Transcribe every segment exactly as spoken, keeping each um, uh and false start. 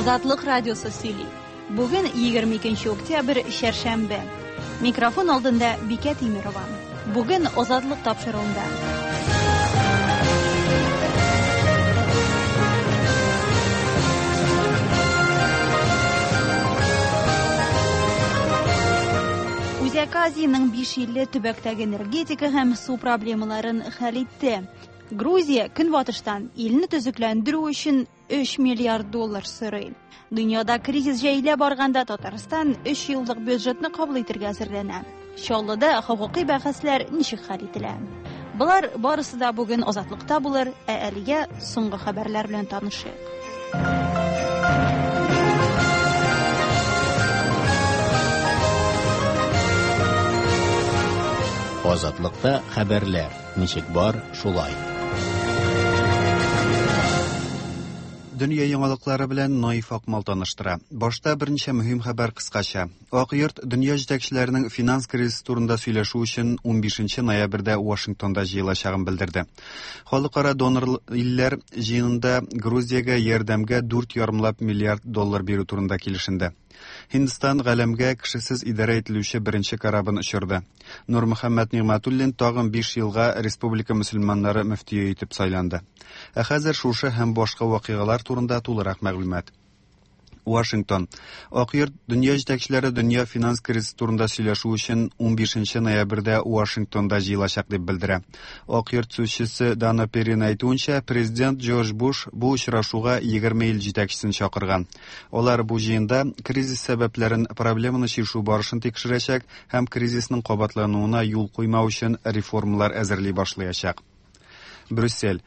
Азатлык радиосы сөйли. Бүген егерме икенче октябрь, чәршәмбе. Микрофон алдында Бикә Тимирова. Бүген Азатлык тапшыруында. Үзәк Азиянең биш илле төбәктәге энергетика һәм су проблемаларын хәл итте. Грузия көнбатыштан илне төзекләндерү өчен өч миллиард доллар сорый. Дөньяда кризис җәелә барганда Татарстан өч еллык бюджетны кабул итәргә әзерләнә. Чаллыда хокукый бәхәсләр ничек хәл ителә? Болар барысы да бүген Азатлыкта булыр, ә әлегә соңгы хәбәрләр белән танышыйк. Азатлыкта хәбәрләр ничек бар, шулай. Дөнья яңалыклары белән Наиф Акмал таныштыра. Башта берничә мөһим хәбәр кыскача. Ак йорт дөнья җитәкчеләренең финанс кризисы турында сөйләшү өчен унбишенче ноябрьдә Вашингтонда җыелачагын белдерде. Халыкара донор илләр җыенында Грузиягә ярдәмгә дүрт ярымлап миллиард доллар бирү турында килешенде. Һиндстан галәмгә кешесез идарә ителүче беренче корабын очырды. Нурмөхәммәт Нигъмәтуллин тагын биш елга республика мөселманнары мөфтие итеп сайланды. Ә хәзер шушы һәм башка вакыйгалар турында тулырак мәгълүмат. Вашингтон. Ак йорт дөнья җитәкчеләре дөнья финанс кризисы турында сөйләшү өчен унбишенче ноябрьдә Вашингтонда җыелачак дип белдерә. Ак йорт сүзчесе Дана Перрин әйтүенчә, президент Джордж Буш бу очрашуга егерме ил җитәкчесен чакырган. Алар бу җыенда кризис сәбәпләрен, проблеманы чишү барышын тикшерәчәк һәм кризисның кабатлануына юл куймау өчен реформалар әзерли башлаячак. Брюссель.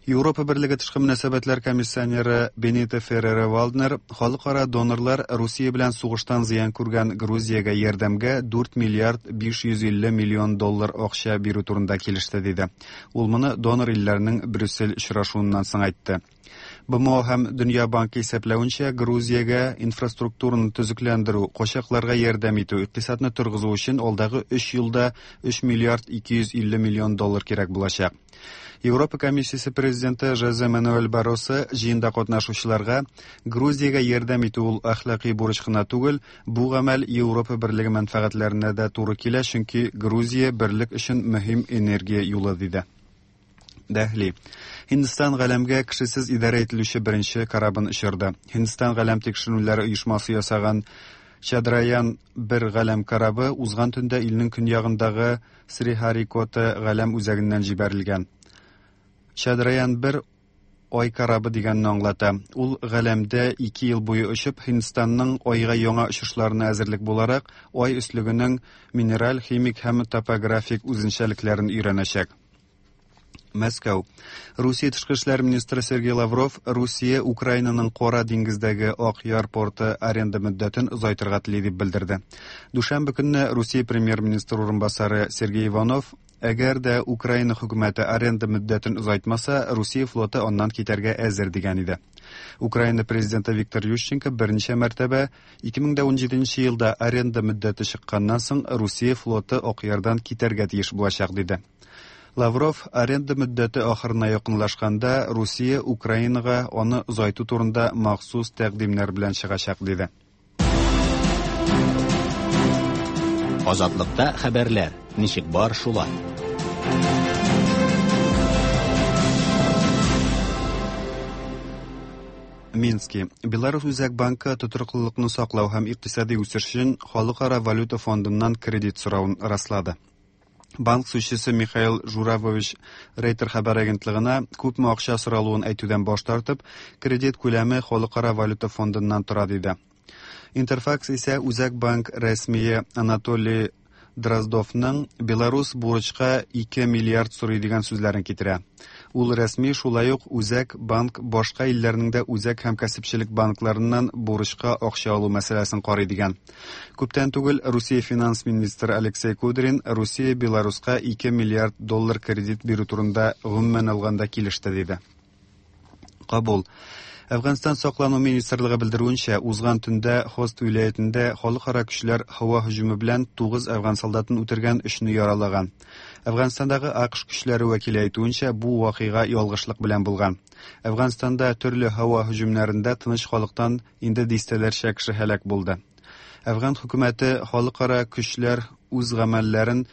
Европа Берлеге тышкы мөнәсәбәтләр комиссионеры Бенито Ферреро Валднер халыкара донорлар Русия белән сугыштан зыян күргән Грузиягә ярдәмгә дүрт миллиард биш йөз илле миллион доллар акча бирү турында килеште диде. Ул моны донор илләрнең Брюссель очрашуыннан соң әйтте. Б М О һәм Дөнья банкы исәпләвенчә, Грузиягә инфраструктураны төзекләндерү, качакларга ярдәм итү, икътисадны торгызу өчен алдагы өч елда өч миллиард ике йөз илле миллион доллар кирәк булачак. Европа комиссиясе президенты Жозе Мануэль Барросо җыенда катнашучыларга Грузиягә ярдәм итү ул әхлаки бурыч кына түгел, бу гамәл Европа Берлеге мәнфәгатьләренә дә туры килә, чөнки Грузия берлек өчен мөһим энергия юлы диде. Дәһли. Һиндстан галәмгә кешесез идарә ителүче беренче корабын очырды. Һиндстан галәм тикшеренүләре оешмасы ясаган Чадраян бер галәм корабы узган төндә илнең көньягындагы Срихарикота галәм үзәгеннән җибәрелгән. Чадраян бер ай корабы дигәнне аңлата. Ул галәмдә ике ел буе очып, Һиндстанның айга яңа очышларына әзерлек буларак, ай өслегенең минераль, химик һәм топографик үзенчәлекләрен өйрәнәчәк. Мәскәү. Русия тышкы эшләр министры Сергей Лавров Русия Украинаның Кара диңгездәге Ак Яр порты аренда мөддәтен озайтырга тели дип белдерде. Дүшәмбе көнне Русия премьер-министры урынбасары Сергей Иванов әгәр дә Украина хөкүмәте аренда мөддәтен озайтмаса, Русия флоты аннан китәргә әзер дигән иде. Украина президенты Виктор Ющенко берничә мәртәбә ике мең дә унҗиденче елда аренда мөддәте чыкканнан соң Русия флоты Ак Ярдан китәргә тиеш булачак диде. Лавров аренда мөддәте ахырына якынлашканда Русия Украинага аны озайту турында махсус тәкъдимнәр белән чыгачак диде. Азатлыкта хәбәрләр ничек бар шулай. Мински. Беларус Үзәк банкы тотрыклылыкны саклау һәм икътисади үсеш өчен Халыкара валюта фондыннан кредит соравын раслады. Банк сүзчесе Михаил Журавович Рейтер хәбәр агентлыгына күпме акча соралуын әйтүдән баш тартып, кредит күләме Халыкара валюта фондыннан тора диде. Интерфакс исә Үзәк банк рәсмие Анатолий Дроздовның Беларус бурычка ике миллиард сорый дигән сүзләрен китерә. Ул рәсми шулай ук Үзәк банк башка илләрнең дә үзәк һәм кәсепчелек банкларыннан бурычка акча алу мәсьәләсен карый дигән. Күптән түгел Русия финанс министры Алексей Кудрин Русия Беларуска ике миллиард доллар кредит бирү турында гомумән алганда килеште диде. Кабул. Әфганстан саклану министрлыгы белдерүенчә, узган төндә Хост вилаятендә халыкара көчләр һава һөҗүме белән тугыз әфган солдатын үтергән, өчне яралаган. Әфганстандагы АКШ көчләре вәкиле әйтүенчә, бу вакыйга ялгышлык белән булган. Әфганстанда төрле һава һөҗүмнәрендә тыныч халыктан инде дистәләрчә кеше һәлак булды. Әфган хөкүмәте халыкара көчләр үз гамәлләрен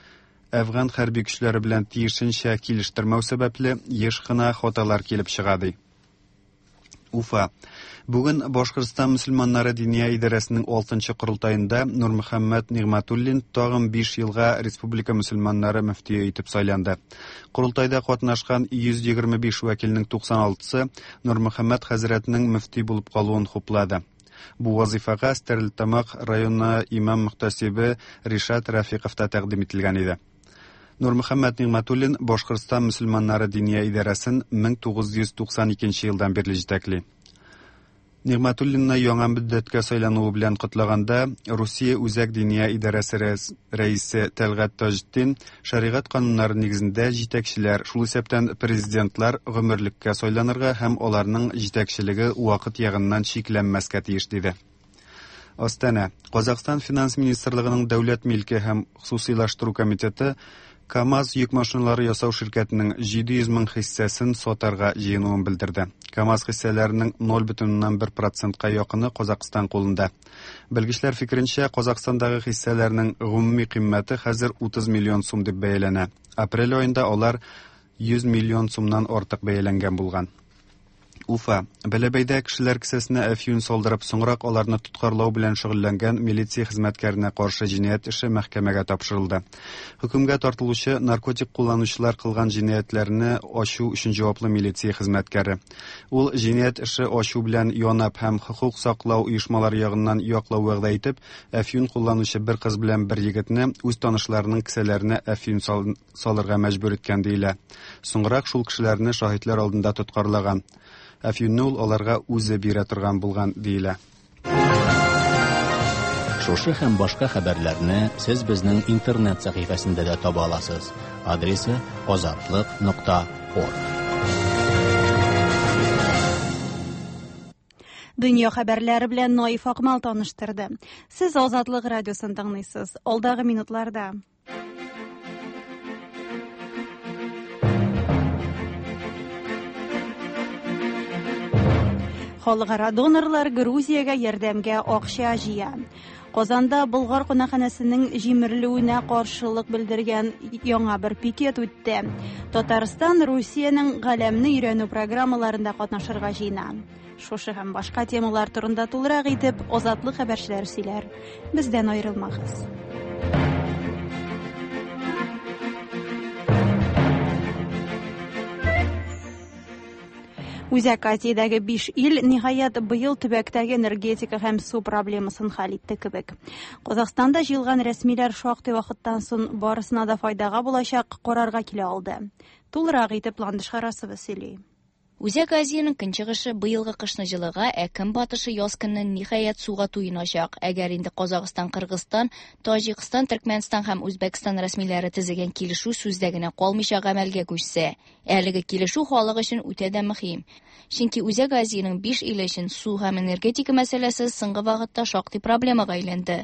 әфган хәрби көчләре белән тиешенчә килештермәү сәбәпле еш кына хаталар килеп чыга ди. Уфа. Бүген Башкортстан мөселманнары диния идарәсенең алтынчы корылтаенда Нурмөхәммәт Нигъмәтуллин тагын биш елга республика мөселманнары мөфтие итеп сайланды. Корылтайда катнашкан йөз егерме биш вәкилнең туксан алтысы Нурмөхәммәт хәзрәтнең мөфти булып калуын хуплады. Бу вазифага Стәрлетамак районы имам мөхтәсибе Ришат Рафиков та тәкъдим ителгән иде. Нурмөхәммәт Нигъмәтуллин Башкортстан мөселманнары диния идарәсен мең тугыз йөз туксан икенче елдан бирле җитәкли. Нигъмәтуллинны яңа мөддәткә сайлануы белән котлаганда Русия Үзәк диния идарәсе рәисе Тәлгать Таҗетдин шәригать кануннары нигезендә җитәкчеләр, шул исәптән президентлар гомерлеккә сайланырга һәм аларның җитәкчелеге вакыт ягыннан чикләнмәскә тиеш диде. Астана. Казахстан финанс министрлыгының дәүләт милке һәм хосусыйлаштыру комитеты КАМАЗ йөк машиналары ясау ширкәтенең җиде йөз мең хиссәсен сатарга җыенуын белдерде. КАМАЗ хиссәләренең ноль бөтен уннан бер процентка якыны Казахстан кулында. Белгечләр фикеренчә, Казахстандагы хиссәләрнең гомуми кыйммәте хәзер утыз миллион сум дип бәяләнә. Апрель аенда алар йөз миллион сумнан артык бәяләнгән булган. Уфа. Бәләбәйдә кешеләр кесәсенә әфьюн салдырып, соңрак аларны тоткарлау белән шөгыльләнгән милиция хезмәткәренә каршы җинаять эше мәхкәмәгә тапшырылды. Хөкемгә тартылучы наркотик кулланучылар кылган җинаятьләрне ачу өчен җаваплы милиция хезмәткәре. Ул җинаять эше ачу белән янап һәм хокук саклау оешмалары ягыннан яклау вәгъдә итеп, әфьюн кулланучы бер кыз белән бер егетне үз танышларының кесәләренә әфьюн салырга мәҗбүр иткән диелә. Соңрак шул кешеләрне шаһитлар алдында тоткарлаган. Әфьюнны ул аларга үзе бирә торган булган диелә. Шушы һәм башка хәбәрләрне сез безнең интернет сәхифәсендә дә таба аласыз. Адресы азатлык нокта орг. Дөнья хәбәрләре белән Наиф Акмал таныштырды. Сез Азатлык радиосын тыңлыйсыз. Алдагы минутларда Халыкара донорлар Грузиягә ярдәмгә акча җыя. Казанда Болгар кунакханәсенең җимерелүенә каршылык белдергән яңа бер пикет үтте. Татарстан Русиянең галәмне өйрәнү программаларында катнашырга җыена. Шушы һәм башка темалар турында тулырак итеп Азатлык хәбәрчеләре сөйләр. Бездән аерылмагыз. Үзәк Азиядәге биш ил ниһаять быел төбәктәге энергетика һәм су проблемасын хәл итте кебек. Казахстанда җыелган рәсмиләр шактый вакыттан соң барысына да файдага булачак карарга килә алды. Тулырак итеп Ландыш Харасова сөйли. Үзәк Азиянең көнчыгышы быелгы кышны җылыга, ә көнбатышы яз көнне ниһаять суга туеначак. Әгәр инде Казахстан, Кыргызстан, Таҗикстан, Төркмәнстан һәм Үзбәкстан рәсмиләре төзегән килешү сүздә генә калмыйча гамәлгә күчсә, әлеге килешү халык өчен үтә дә мөһим. Чөнки Үзәк Азиянең биш иле өчен су һәм энергетика мәсьәләсе соңгы вакытта шактый проблемага әйләнде.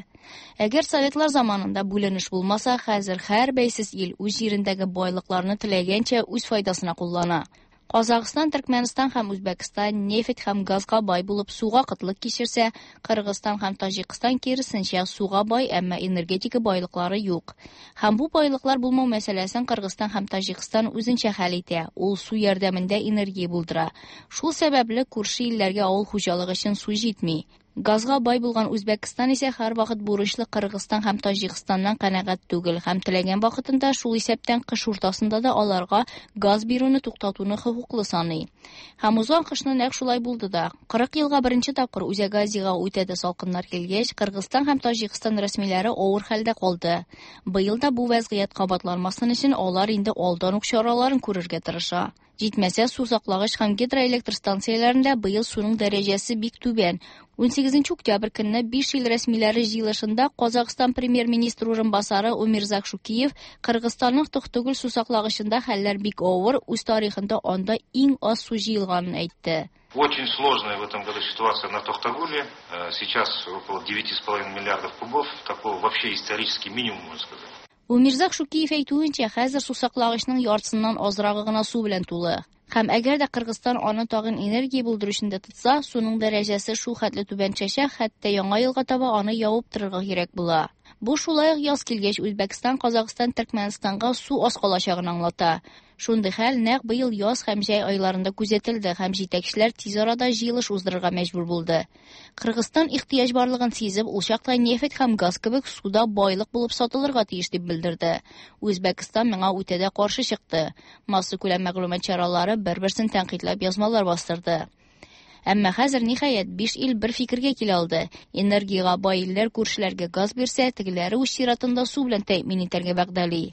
Әгәр советлар заманында бүленеш булмаса, хәзер һәр бәйсез ил үз җирендәге байлыкларны теләгәнчә үз файдасына куллана. Казахстан, Төркмәнстан һәм Үзбәкстан нефть һәм газга бай булып суга кытлык кичерсә, Кыргызстан һәм Таҗикстан киресенчә суга бай, әмма энергетика байлыклары юк. Һәм бу байлыклар булмау мәсьәләсен Кыргызстан һәм Таҗикстан үзенчә хәл итә. Ул су ярдәмендә энергия булдыра. Шул сәбәпле күрше илләргә авыл хуҗалыгы өчен су җитми. Газга бай булган Үзбәкстан исә һәрвакыт бурычлы Кыргызстан һәм Таҗикстаннан канәгать түгел һәм теләгән вакытында, шул исәптән кыш уртасында да аларга газ бирүне туктатуны хокуклы саный. Һәм узган кышны нәкъ шулай булды да. Кырык елга беренче тапкыр Үзәк Азиягә үтә дә салкыннар килгәч, Кыргызстан һәм Таҗикстан рәсмиләре авыр хәлдә калды. Быел да бу вәзгыять кабатланмасын өчен алар инде алдан ук чараларын күрергә тырыша. Җитмәсә, су саклагыч һәм гидроэлектр станцияләрендә быел суның дәрәҗәсе бик түбән. унсигезенче октябрь көнне биш ил рәсмиләре җыелышында Казахстан премьер-министры урынбасары Умирзак Шукиев Кыргызстанның Токтогул су саклагычында хәлләр бик авыр, үз тарихында анда иң аз су җыелганын әйтте. Очень сложная в этом году ситуация на Тохтагуле. Сейчас около девяти с половиной миллиардов кубов. Такого вообще исторический минимум, можно сказать. Умирзак Шукиев әйтүенчә, хәзер сусаклагычның яртысыннан азрагы гына су белән тулы. Һәм әгәр дә Кыргызстан аны тагын энергия булдыру өчен дә тотса, суның дәрәҗәсе шул хәтле түбән төшәчәк, хәтта яңа елга таба аны ябып торырга кирәк була. Бу шулай ук яз килгәч Үзбәкстан, Казакъстан, Төркмәнстанга су аз калачагын аңлата. Шундый хәл нәкъ быел яз һәм җәй айларында күзәтелде һәм җитәкчеләр тиз арада җыелыш уздырырга мәҗбүр булды. Кыргызстан ихтыяҗ барлыгын сизеп, ул чакта нефть һәм газ кебек суда байлык булып сатылырга тиеш дип белдерде. Үзбәкстан моңа үтә дә каршы чыкты. Массакүләм мәгълүмат чаралары бер-берсен тәнкыйтьләп язмалар бастырды. Әмма хәзер ниһаять биш ил бер фикергә килә алды. Энергияга бай илләр күршеләргә газ бирсә, тегеләре үз чиратында су белән тәэмин итәргә вәгъдәли.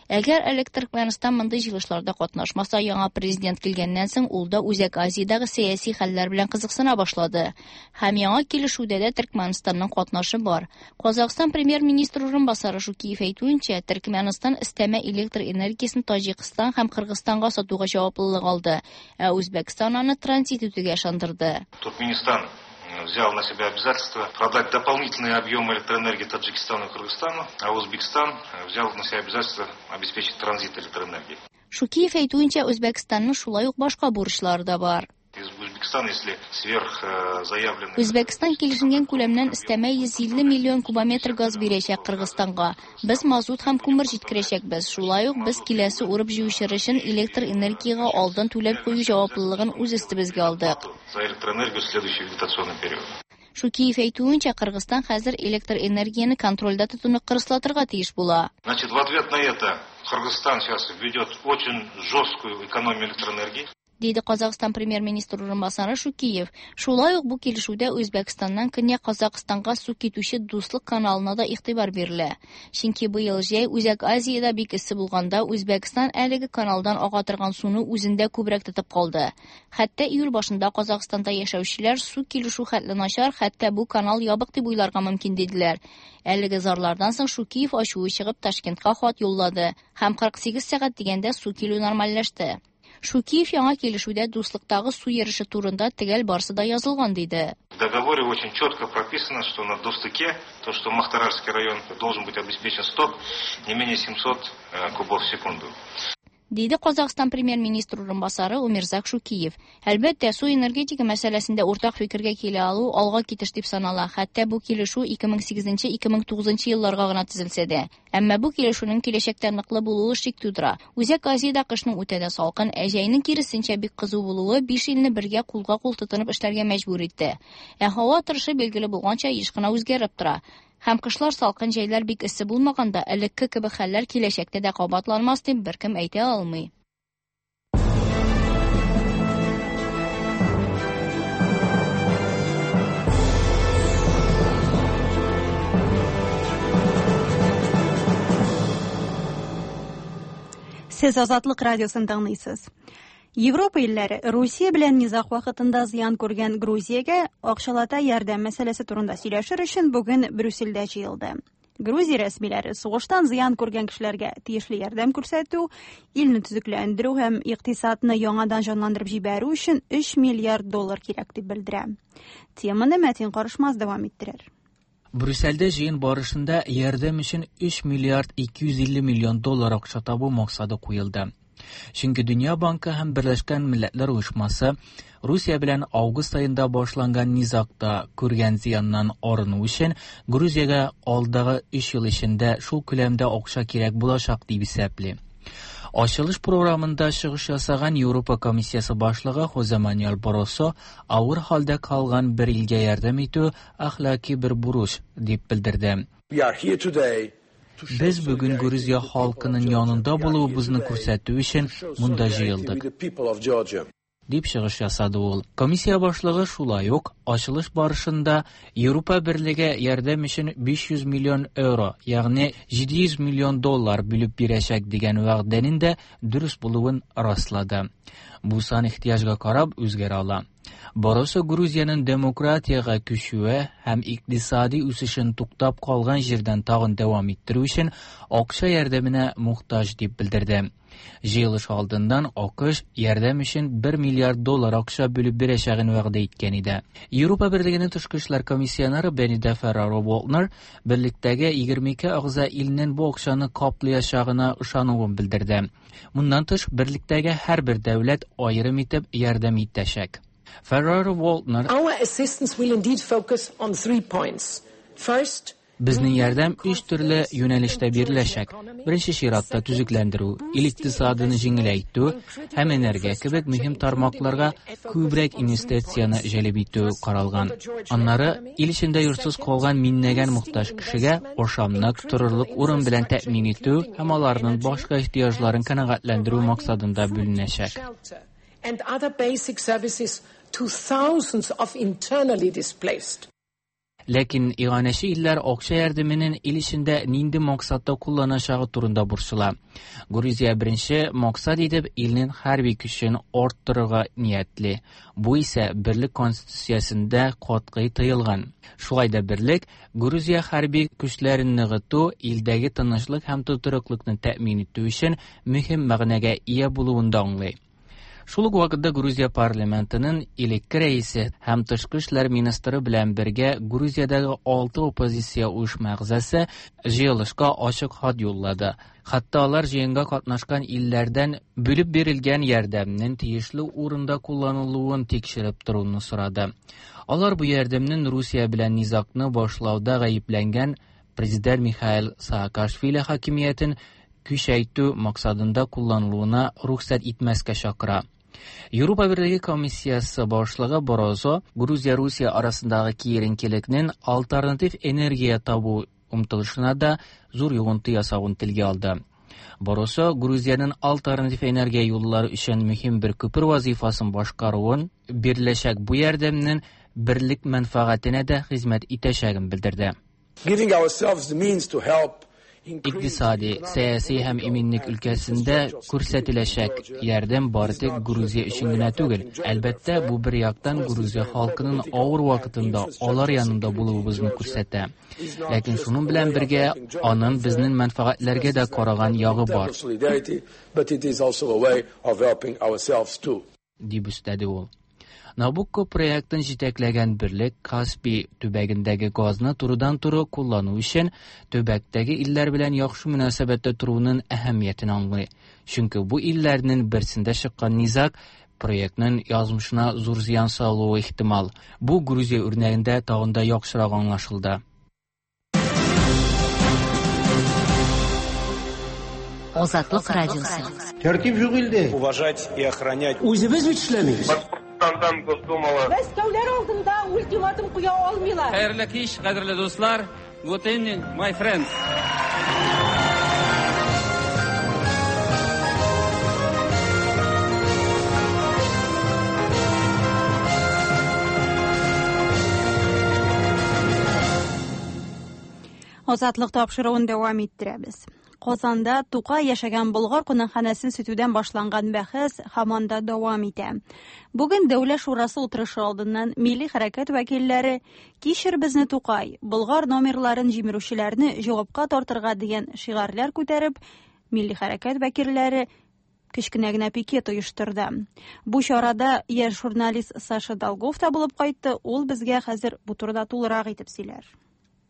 Әгәр элек Төркмәнстан мондый җыелышларда катнашмаса, яңа президент килгәннән соң ул да Үзәк Азиядәге сәяси хәлләр белән кызыксына башлады. Һәм яңа килешүдә дә Төркмәнстанның катнашы бар. Казакъстан премьер-министры урынбасары Шукиев әйтүенчә, Төркмәнстан өстәмә электр энергиясен Таҗикстан һәм Кыргызстанга сатуга җаваплылык алды, ә Үзбәкстан аны транзит итүгә ышандырды. Туркменистан взял на себя обязательство продать дополнительные объемы электроэнергии Таджикистану и Кыргызстану, а Узбекистан взял на себя обязательство обеспечить транзит электроэнергии. Шукиев әйтүенчә, Үзбәкстанның шулай ук башка бурычлары да бар. Из Узбекистана, если сверх заявленный... Үзбәкстан килешенгән күләмнән өстәмә йөз илле миллион кубометр газ бирәчәк Кыргызстанга. Без мазут һәм күмер җиткерәчәкбез. Шулай ук без киләсе урып җыючы өчен электр энергияга алдан түләп кую җаваплылыгын үз өстебезгә алдык. За электроэнергию в следующий вегетационный период. Шукиев әйтүенчә, Кыргызстан хәзер электр энергияне контрольдә тотуны кырыслатырга тиеш була. Значит, в ответ на это Кыргызстан сейчас введет очень жесткую экономию электроэнергии. Диде Казакъстан премьер-министры урынбасары Шукиев. Шулай ук бу килешүдә Үзбәкстаннан Көньяк Казакъстанга су китүче Дуслык каналына да игътибар бирелә. Чөнки быел җәй Үзәк Азиядә бик эссе булганда Үзбәкстан әлеге каналдан ага торган суны үзендә күбрәк тотып калды. Хәтта июль башында Казакъстанда яшәүчеләр су килешү хәтле начар, хәтта бу канал ябык дип уйларга мөмкин диделәр. Әлеге зарлардан соң Шукиев ачуы чыгып Ташкентка хат юллады һәм кырык сигез сәгать дигәндә су килү нормальләште. Шукиев яңа килешүдә дуслыктагы су йөреше турында төгәл барсы да язылган диде. В договоре очень четко прописано, что на Достыке, то, что Махтаральский район должен быть обеспечен сток не менее семисот кубов в секунду. Диде Казакъстан премьер-министры урынбасары Умирзак Шукиев. Әлбәттә, су энергетика мәсьәләсендә уртак фикергә килә алу алга китеш дип санала. Хәтта бу килешү ике мең сигезенче ике мең тугызынчы елларга гына төзелсә дә. Әмма бу килешүнең киләчәктә ныклы булуы шик тудыра. Үзәк Азиядә кышның үтә дә салкын, ә җәйнең киресенчә бик кызу булуы биш илне бергә кулга-кул тотынып эшләргә мәҗбүр итте. Ә һава торышы билгеле булганча еш кына үзгәреп тора. Һәм кышлар салкын, җәйләр бик эссе булмаганда, элекке кебек хәлләр киләчәктә дә кабатланмас дип беркем әйтә алмый. Сез Азатлык радиосын тыңлыйсыз. Европа илләре Русия белән низаг вакытында зыян күргән Грузиягә акчалата ярдәм мәсьәләсе турында сөйләшер өчен бүген Брюссельдә җыелды. Грузия рәсмиләре сугыштан зыян күргән кешеләргә тиешле ярдәм күрсәтү, илне төзекләндерү һәм икътисадны яңадан җанландырып җибәрү өчен өч миллиард доллар кирәк дип белдерә. Теманы Мәтин Карышмаз дәвам иттерер. Брюссельдә җыен барышында ярдәм өчен өч миллиард ике йөз илле миллион доллар акча табу максаты куелды. Чөнки Дөнья банкы һәм Берләшкән Милләтләр Оешмасы Русия белән август аенда башланган низагта күргән зыяннан арыну өчен Грузиягә алдагы өч ел эчендә шул күләмдә акча кирәк булачак дип исәпли. Ачылыш програмында чыгыш ясаган Европа комиссиясе башлыгы Хозе Мануэль Барросо авыр хәлдә калган бер илгә ярдәм итү әхлаки бер бурыч дип белдерде. We are here today. Без бүген Грузия халкының янында булуыбызны күрсәтү өчен монда җыелдык, дип чыгыш ясады ул. Комиссия башлыгы шулай ук ачылыш барышында Европа берлеге ярдәм өчен биш йөз миллион евро, ягъни җиде йөз миллион доллар бүлеп бирәчәк дигән вәгъдәнең дә дөрес булуын раслады. Бу сан ихтыяҗга карап үзгәрә ала. Баросо Грузиянең демократиягә күчүе һәм икътисади үсешен туктап калган җирдән тагын дәвам иттерү өчен акча ярдәменә мохтаҗ дип белдерде. Җыелыш алдыннан АКШ ярдәм өчен бер миллиард доллар акча бүлеп бирәчәген вәгъдә иткән иде. Европа Берлегенең тышкы эшләр комиссионеры Бенида Ферраро-Волтнер берлектәге егерме ике әгъза илнең бу акчаны каплаячагына ышануын белдерде. Моннан тыш, берлектәге һәрбер дәүләт аерым итеп ярдәм итәчәк. Ferrero-Waldner: Our assistance will indeed focus on three points. First, Безнең ярдәм өч төрле юнәлештә биреләчәк. Беренче чиратта төзекләндерү, ил икътисадын җиңеләйтү һәм энергия кебек мөһим тармакларга күбрәк инвестицияне җәлеп итү каралган. Аннары ил эчендә йортсыз калган миңнәгән мохтаҗ кешегә ашамлык, торырлык урын белән тәэмин итү һәм аларның башка ихтыяҗларын канәгатьләндерү максатында бүленәчәк. and other basic services to thousands of internally displaced. Ләкин иганәче илләр акча ярдәменең ил эчендә нинди максатта кулланачагы турында борчыла. Грузия беренче максат итеп илнең хәрби көчен арттырырга ниятли. Бу исә берлек конституциясендә катгый тыелган. Шулай да берлек Грузия хәрби көчләрен ныгыту илдәге тынычлык һәм тотрыклыкны тәэмин итү өчен мөһим мәгънәгә ия булуын да аңлый. Шул ук вакытта Грузия парламентының элекке рәисе һәм тышкы эшләр министры белән бергә Грузиядәге алты оппозиция оешма әгъзасы җыелышка ачык хат юллады. Хатта алар җыенга катнашкан илләрдән бүлеп бирелгән ярдәмнең тиешле урында кулланылуын тикшереп торуны сорады. Алар бу ярдәмнең Русия белән низагны башлауда гаепләнгән президент Михаил Саакашвили хакимиятен көчәйтү максатында кулланылуына рөхсәт итмәскә чакыра. Европа Берлеге комиссиясы башлыгы Барозо Грузия-Русия арасындагы киеренкелекнең альтернатив энергия табу омтылышына да зур йогынты ясавын телгә алды. Барозо Грузиянең альтернатив энергия юллары өчен мөһим бер күпер вазифасын башкаруын, биреләчәк бу ярдәмнең берлек мәнфәгатенә дә хезмәт итәчәген белдерде. Giving ourselves the means to help Икътисади, сәяси һәм иминлек өлкәсендә күрсәтеләчәк ярдәм бары тик Грузия өчен генә түгел. Әлбәттә, бу бер яктан Грузия халкының авыр вакытында алар янында булуыбызны күрсәтә. Ләкин шуның белән бергә аның безнең мәнфәгатьләргә дә караган ягы бар. Дип өстәде ул. Набукко проектын җитәкләгән берлек Каспий төбәгендәге газны турыдан-туры куллану өчен төбәктәге илләр белән яхшы мөнәсәбәттә торуның әһәмиятен аңлый. Чөнки бу илләрнең берсендә чыккан низаг проектның язмышына зур зыян салуы ихтимал. Бу Грузия үрнәгендә тагын да яхшырак аңлашылды. Азатлык радиосы. Тәртип юк илдә. Уважать и охранять. Үзебез бит эшләмибез. Мәскәүләр алдында ультиматум куя алмыйлар. Хәерле кич, кадерле дуслар. Good evening, my friends. Азатлык тапшыруын дәвам иттерәбез. Казанда Тукай яшәгән Болгар кунакханәсен сүтүдән башланган бәхәс һаман да дәвам итә. Бүген Дәүләт шурасы утырышы алдыннан милли хәрәкәт вәкилләре «Кичер безне Тукай, Болгар номерларын җимерүчеләрне җавапка тартырга» дигән шигарьләр күтәреп, милли хәрәкәт вәкилләре кечкенә генә пикет оештырды. Бу чарада яшь журналист Саша Долгов та булып кайтты. Ул безгә хәзер бу турыда тулырак итеп сөйләр.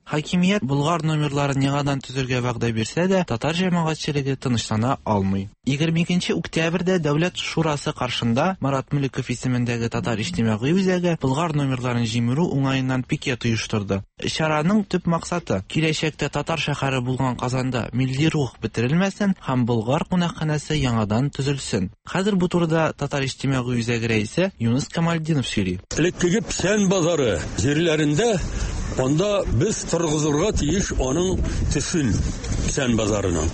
Хакимият Болгар номерларын яңадан төзергә вәгъдә бирсә дә, татар җәмәгатьчелеге тынычлана алмый. егерме икенче октябрьдә Дәүләт шурасы каршында Марат Мөлеков исемендәге татар иҗтимагый үзәге Болгар номерларын җимерү уңаеннан пикет оештырды. Чараның төп максаты киләчәктә татар шәһәре булган Казанда милли рух бетерелмәсен һәм Болгар кунакханәсе яңадан төзелсен. Хәзер бу турыда татар иҗтимагый үзәге рәисе Юныс Камалдинов сөйли. Элеккеге Печән базары җирләрендә анда без торгызырга тиеш аның төсен Печән базарының.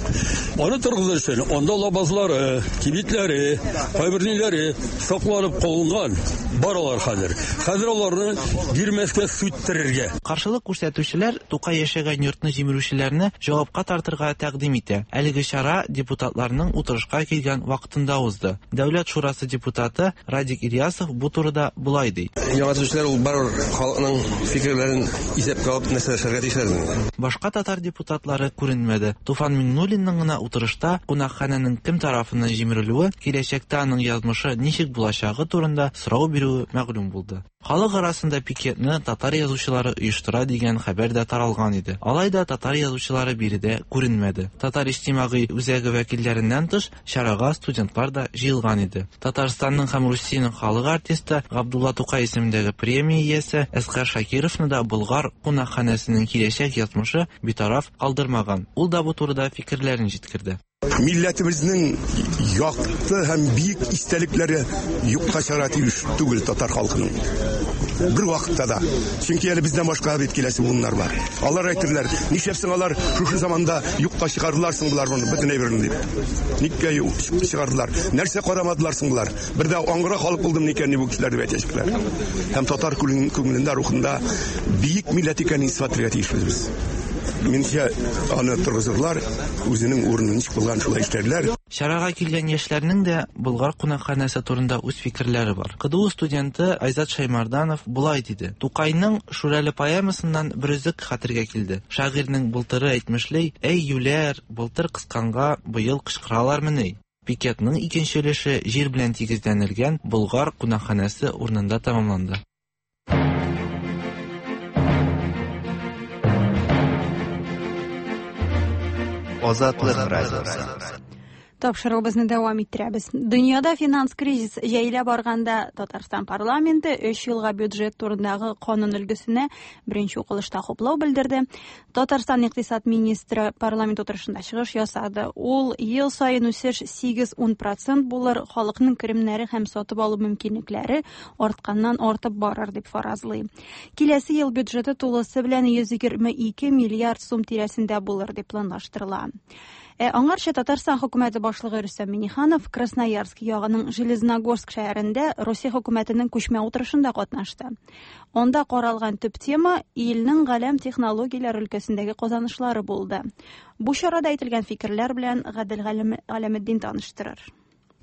Аны торгызыр өчен анда лабазлары, кибетләре, кайбер ниләре сакланып калынган. Бар алар хәзер. Хәзер аларны бирмәскә, сүттерергә. Каршылык күрсәтүчеләр Тукай яшәгән йортны җимерүчеләрне җавапка тартырга тәкъдим итә. Әлеге чара депутатларның утырышка килгән вакытында узды. Дәүләт шурасы депутаты Радик Ильясов бу турыда болай ди. Яңа төзүчеләр ул барыбер халыкның фикерләрен исәпкә алып нәрсә эшләргә тиешләр. Башка татар депутатлары күренмәде. Туфан Миңнуллинның гына утырышта кунакханәнең кем тарафыннан җимерелүе, киләчәктә аның язмышы ничек булачагы турында сорау бирүе мәгълүм булды. Халык арасында пикетны татар язучылары оештыра дигән хәбәр дә таралган иде. Алай да татар язучылары биредә күренмәде. Татар иҗтимагый үзәге вәкилләреннән тыш чарага студентлар да җыелган иде. Татарстанның һәм Русиянең халык артисты Габдулла Тукай исемендәге премия иясе Әсгар Шакировны да Болгар кунакханәсенең киләчәк язмышы битараф калдырмаган. Ул да бу турыда фикерләрен җиткерде. Милләтебезнең якты һәм бөек истәлекләре юкка чыгарга тиеш түгел татар халкының. Бер вакытта да. Чөнки әле бездән башка бит киләсе буыннар бар. Алар әйтерләр, нишләпсең алар шушы заманда юкка чыгардылар соң болар моны бөтен әйберне дип. Никкә чыгардылар? Нәрсә карамадылар соң болар? Бер дә аңгыра халык булдым икән бу кешеләр дип әйтәчәкләр. Һәм татар күңелендә, рухында бөек милләт икәнен исбатларга тиешбез без. Минемчә, аны торгызырлар, үзенең урынын ничек булган шулай эшләрләр. Чарага килгән яшьләрнең дә Болгар кунакханәсе турында үз фикерләре бар. КДУ студенты Айзат Шаймарданов болай диде. Тукайның Шүрәле поэмасыннан бер өзек хәтергә килде. Шагыйрьнең былтыры әйтмешли, "Әй юләр, былтыр кысканга быел кычкыралармыни?" Пикетның икенче өлеше җир белән тигезләнелгән Болгар кунакханәсе урынында тәмамланды. Азатлык радиосы. Тапшыруыбызны дәвам иттерәбез. Дөньяда финанс кризис җәелә барганда Татарстан парламенты өч елга бюджет турындагы канун өлгесенә беренче укылышта хуплау белдерде. Татарстан икътисад министры парламент утырышында чыгыш ясады. Ул ел саен үсеш сигез-ун процент булыр, халыкның керемнәре һәм сатып алу мөмкинлекләре артканнан артып барыр дип фаразлый. Киләсе ел бюджеты тулысы белән йөз егерме ике миллиард сум тирәсендә булыр дип планлаштырыла. Ә аңарча Татарстан хөкүмәте башлыгы Рөстәм Миңнеханов Красноярск ягының Железногорск шәһәрендә Русия хөкүмәтенең күчмә утырышында катнашты. Анда каралган төп тема илнең галәм технологияләр өлкәсендәге казанышлары булды. Бу чарада әйтелгән фикерләр белән Гадел Галәметдин таныштырыр.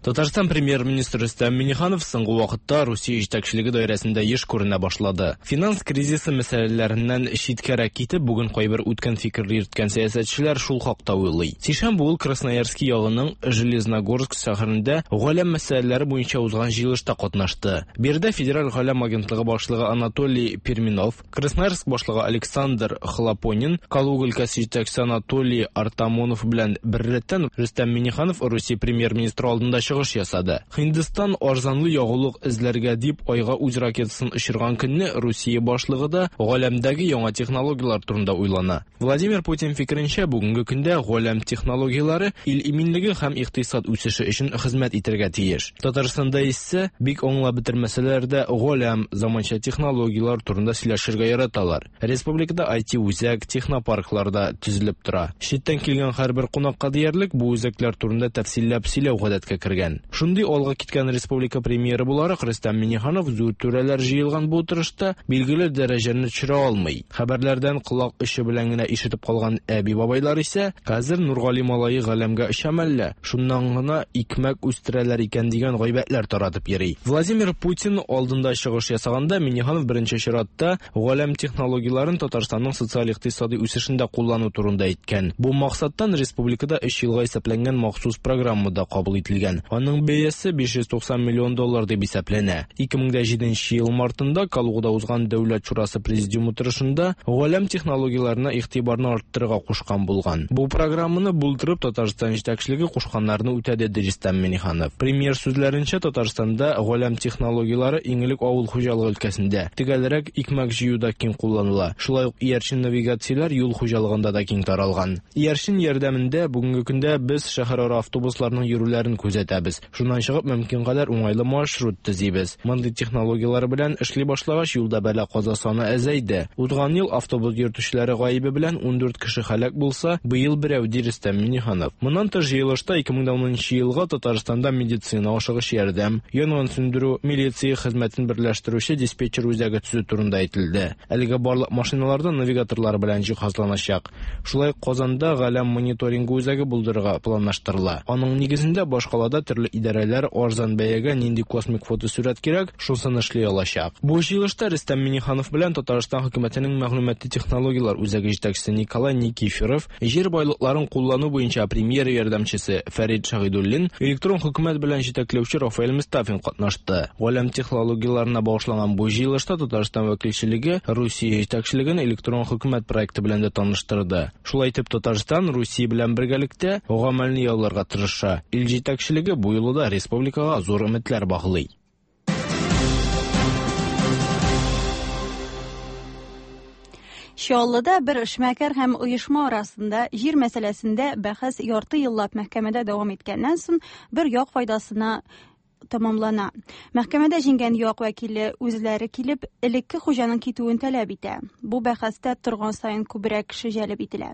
Татарстан премьер-министры Рөстәм Миңнеханов соңгы вакытта Русия җитәкчелеге даирәсендә еш күренә башлады. Финанс кризисы мәсьәләләреннән читкәрәк китеп, бүген кайбер үткән фикерле йөрткән сәясәтчеләр шул хакта уйлый. Сишәмбе ул Красноярский ягының Железногорск шәһәрендә галәм мәсьәләләре буенча узган җыелышта катнашты. Биредә Федераль галәм агентлыгы башлыгы Анатолий Перминов, Красноярск башлыгы Александр Хлопонин, Калуга өлкәсе җитәкчесе Анатолий Артамонов белән беррәттән Рөстәм Миңнеханов Русия премьер-министры алдында чыгыш ясады. Һиндстан арзанлы ягулык эзләргә дип айга үз ракетасын очырган көнне Русия башлыгы да галәмдәге яңа технологияләр турында уйлана. Владимир Путин фикеренчә, бүгенге көндә галәм технологияләре ил иминлеге һәм икътисад үсеше өчен хезмәт итәргә тиеш. Татарстанда исә бик аңлап бетермәсәләр дә галәм заманча технологияләр турында сөйләшергә яраталар. Республикада ай ти үзәк, технопарклар да төзелеп тора. Читтән килгән һәрбер кунакка диярлек бу үзәкләр турында тәфсилләп сөйләү гадәткә кергән. Шундый алга киткән республика премьеры буларак Рөстәм Миңнеханов зур түрәләр җыелган бу утырышта билгеле дәрәҗәне төшерә алмый. Хәбәрләрдән колак очы белән генә ишетеп калган әби-бабайлар исә хәзер Нургали малае галәмгә оча мәллә, шуннан гына икмәк үстерәләр икән дигән гайбәтләр таратып йөри. Владимир Путин алдында чыгыш ясаганда Миңнеханов беренче чиратта галәм технологияләрен Татарстанның социаль-икътисади үсешендә куллану турында әйткән. Бу максаттан республикада өч елга исәпләнгән махсус программа да кабул ителгән. Аның бәясе биш йөз туксан миллион доллар дип исәпләнә. ике мең җиденче ел мартында Калугада узган Дәүләт шурасы президиум утырышында галәм технологияләренә игътибарны арттырырга кушкан булган. Бу программаны булдырып Татарстан җитәкчелеге кушканнарны үтәде, диде Рөстәм Миңнеханов. Премьер сүзләренчә, Татарстанда галәм технологияләре иң элек авыл хуҗалыгы өлкәсендә, төгәлрәк икмәк җыюда киң кулланыла. Шулай ук иярчен навигацияләр юл хуҗалыгында да киң таралган. Иярчен ярдәмендә бүгенге көндә без шәһәрара автобусларның йөрүләрен күзәтәбез. итәбез. Шуннан чыгып мөмкин кадәр уңайлы маршрут төзибез. Мондый технологияләр белән эшли башлагач, юлда бәла-каза саны әзәйде. Узган ел автобус йөртүчеләре гаебе белән ундүрт кеше һәлак булса, быел берәү, ди Рөстәм Миңнеханов. Моннан тыш җыелышта ике мең унынчы елга Татарстанда медицина ашыгыч ярдәм, янгын сүндерү, милиция хезмәтен берләштерүче диспетчер үзәге төзү турында әйтелде. Әлегә барлык машиналарда навигаторлар белән җиһазланачак. Шулай Казанда галәм мониторингы үзәге булдырырга планлаштырыла. Аның нигезендә башкалада төрле идарәләр арзан бәягә нинди космик фотосурәт кирәк, шусын эшли алачак. Бу җыелышта Рөстәм Миңнеханов белән Татарстан хөкүмәтенең мәгълүмати технологияләр үзәге җитәкчесе Николай Никифоров, җир байлыкларын куллану буенча премьер ярдәмчесе Фәрид Шаһидуллин, электрон хөкүмәт белән җитәкләүче Рафаэль Мустафин катнашты. Галәм технологияләренә багышланган бу җыелышта Татарстан вәкилчелеге Русия җитәкчелеген электрон хөкүмәт проекты белән дә таныштырды. Шулай итеп Татарстан Русия белән бергәлектә гамәлне яуларга тырыша. Ил җитәкчелеге бу юлы да республикага зур өметләр баглый. Чаллыда бер эшмәкәр һәм оешма арасында җир мәсьәләсендә бәхәс ярты еллап мәхкәмәдә дәвам иткәннән соң бер як файдасына тамамлана. Мәхкәмәдә җиңгән як вәкиле үзләре килеп, элекке хуҗаның китүен таләп итә. Бу бәхәстә торган саен күбрәк кеше җәлеп ителә.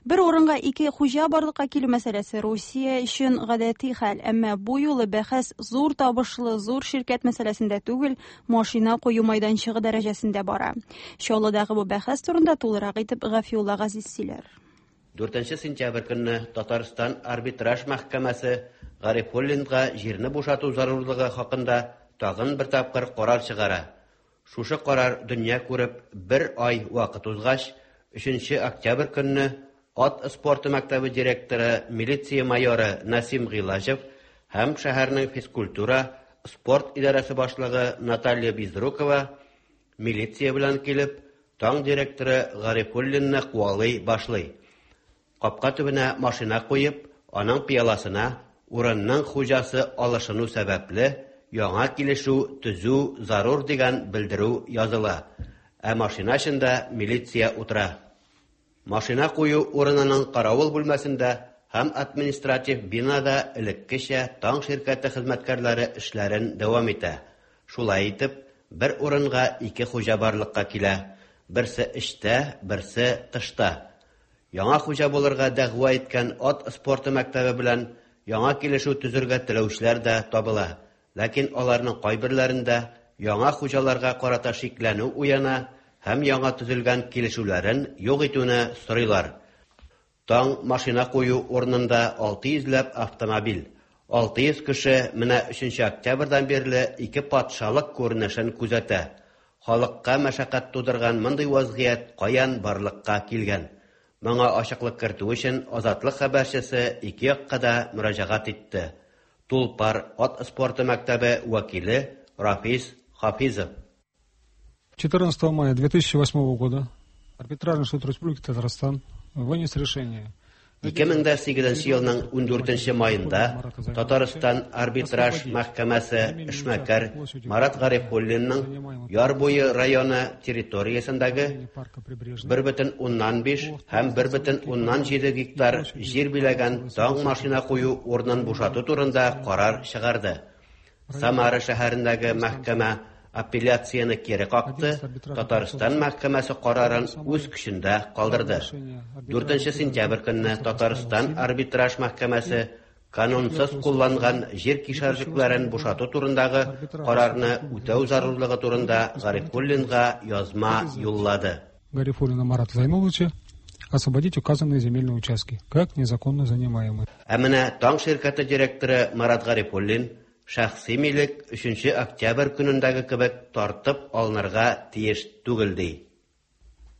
Бер урынга ике хуҗа барлыкка килү мәсьәләсе Русия өчен гадәти хәл, әмма бу юлы бәхәс зур табышлы зур ширкәт мәсьәләсендә түгел, машина кую майданчыгы дәрәҗәсендә бара. Чаллыдагы бу бәхәс турында тулырак итеп Гафиулла Газиз сөйләр. Дүртенче сентябрь көнне Татарстан арбитраж мәхкәмәсе Гарифуллинга җирне бушату зарурлыгы хакында тагын бер тапкыр карар чыгара. Шушы карар дөнья күреп бер ай вакыт узгач, өченче октябрь көнне ат спорты мәктәбе директоры милиция майоры Насим Гыйлаҗев һәм шәһәрнең физкультура, спорт идарәсе башлыгы Наталья Безрукова милиция белән килеп, таң директоры Гарифуллинны куалый башлый. Капка төбенә машина куеп, аның пыяласына урынның хуҗасы алышыну сәбәпле яңа килешү төзү зарур дигән белдерү языла. Ә машина эчендә милиция утыра. Машина кую урынының каравыл бүлмәсендә һәм административ бинада элеккечә таң ширкәте хезмәткәрләре эшләрен дәвам итә. Шулай итеп, бер урынга ике хуҗа барлыкка килә. Берсе эштә, берсе тышта. Яңа хуҗа булырга дәгъва иткән ат спорты мәктәбе белән яңа килешү төзергә теләүчеләр дә табыла. Ләкин аларның кайберләрендә яңа хуҗаларга карата шикләнү уяна һәм яңа төзелгән килешүләрен юк итүне сорыйлар. Таң машина кую урынында алты йөзләп автомобиль, алты йөз кеше менә өченче октябрьдән бирле ике патшалык күренешен күзәтә. Халыкка мәшәкать тудырган мондый вазгыять каян барлыкка килгән? Моңа ачыклык кертү өчен Азатлык хәбәрчесе ике якка да мөрәҗәгать итте. Тулпар ат спорты мәктәбе вәкиле Рафис Хафизов. четырнадцатого мая две тысячи восьмого года арбитражный суд Республики Татарстан вынес решение. ике мең дә сигезенче елның ундүртенче майында Татарстан арбитраж мәхкәмәсе эшмәкәр Марат Гарифуллинның Яр буе районы территориясендәге бер бөтен уннан биш һәм бер бөтен уннан җиде гектар җир биләгән таң машина кую урынын бушату турында карар чыгарды. Самара шәһәрендәге мәхкәмә апелляцияне кире какты, Татарстан мәхкәмәсе карарын үз көчендә калдырды. Дүртенче сентябрь көнне Татарстан арбитраж мәхкәмәсе канунсыз кулланган җир кишәрлекләрен бушату турындагы карарны үтәү зарурлыгы турында Гарифуллинга язма юллады. Гарифуллина Марата Зайнулловича освободить указанные земельные участки, как незаконно занимаемые. Ә менә Таң ширкәте директоры Марат Гарифуллин шәхси милек өченче октябрь көнендәге кебек тартып алынырга тиеш түгел ди.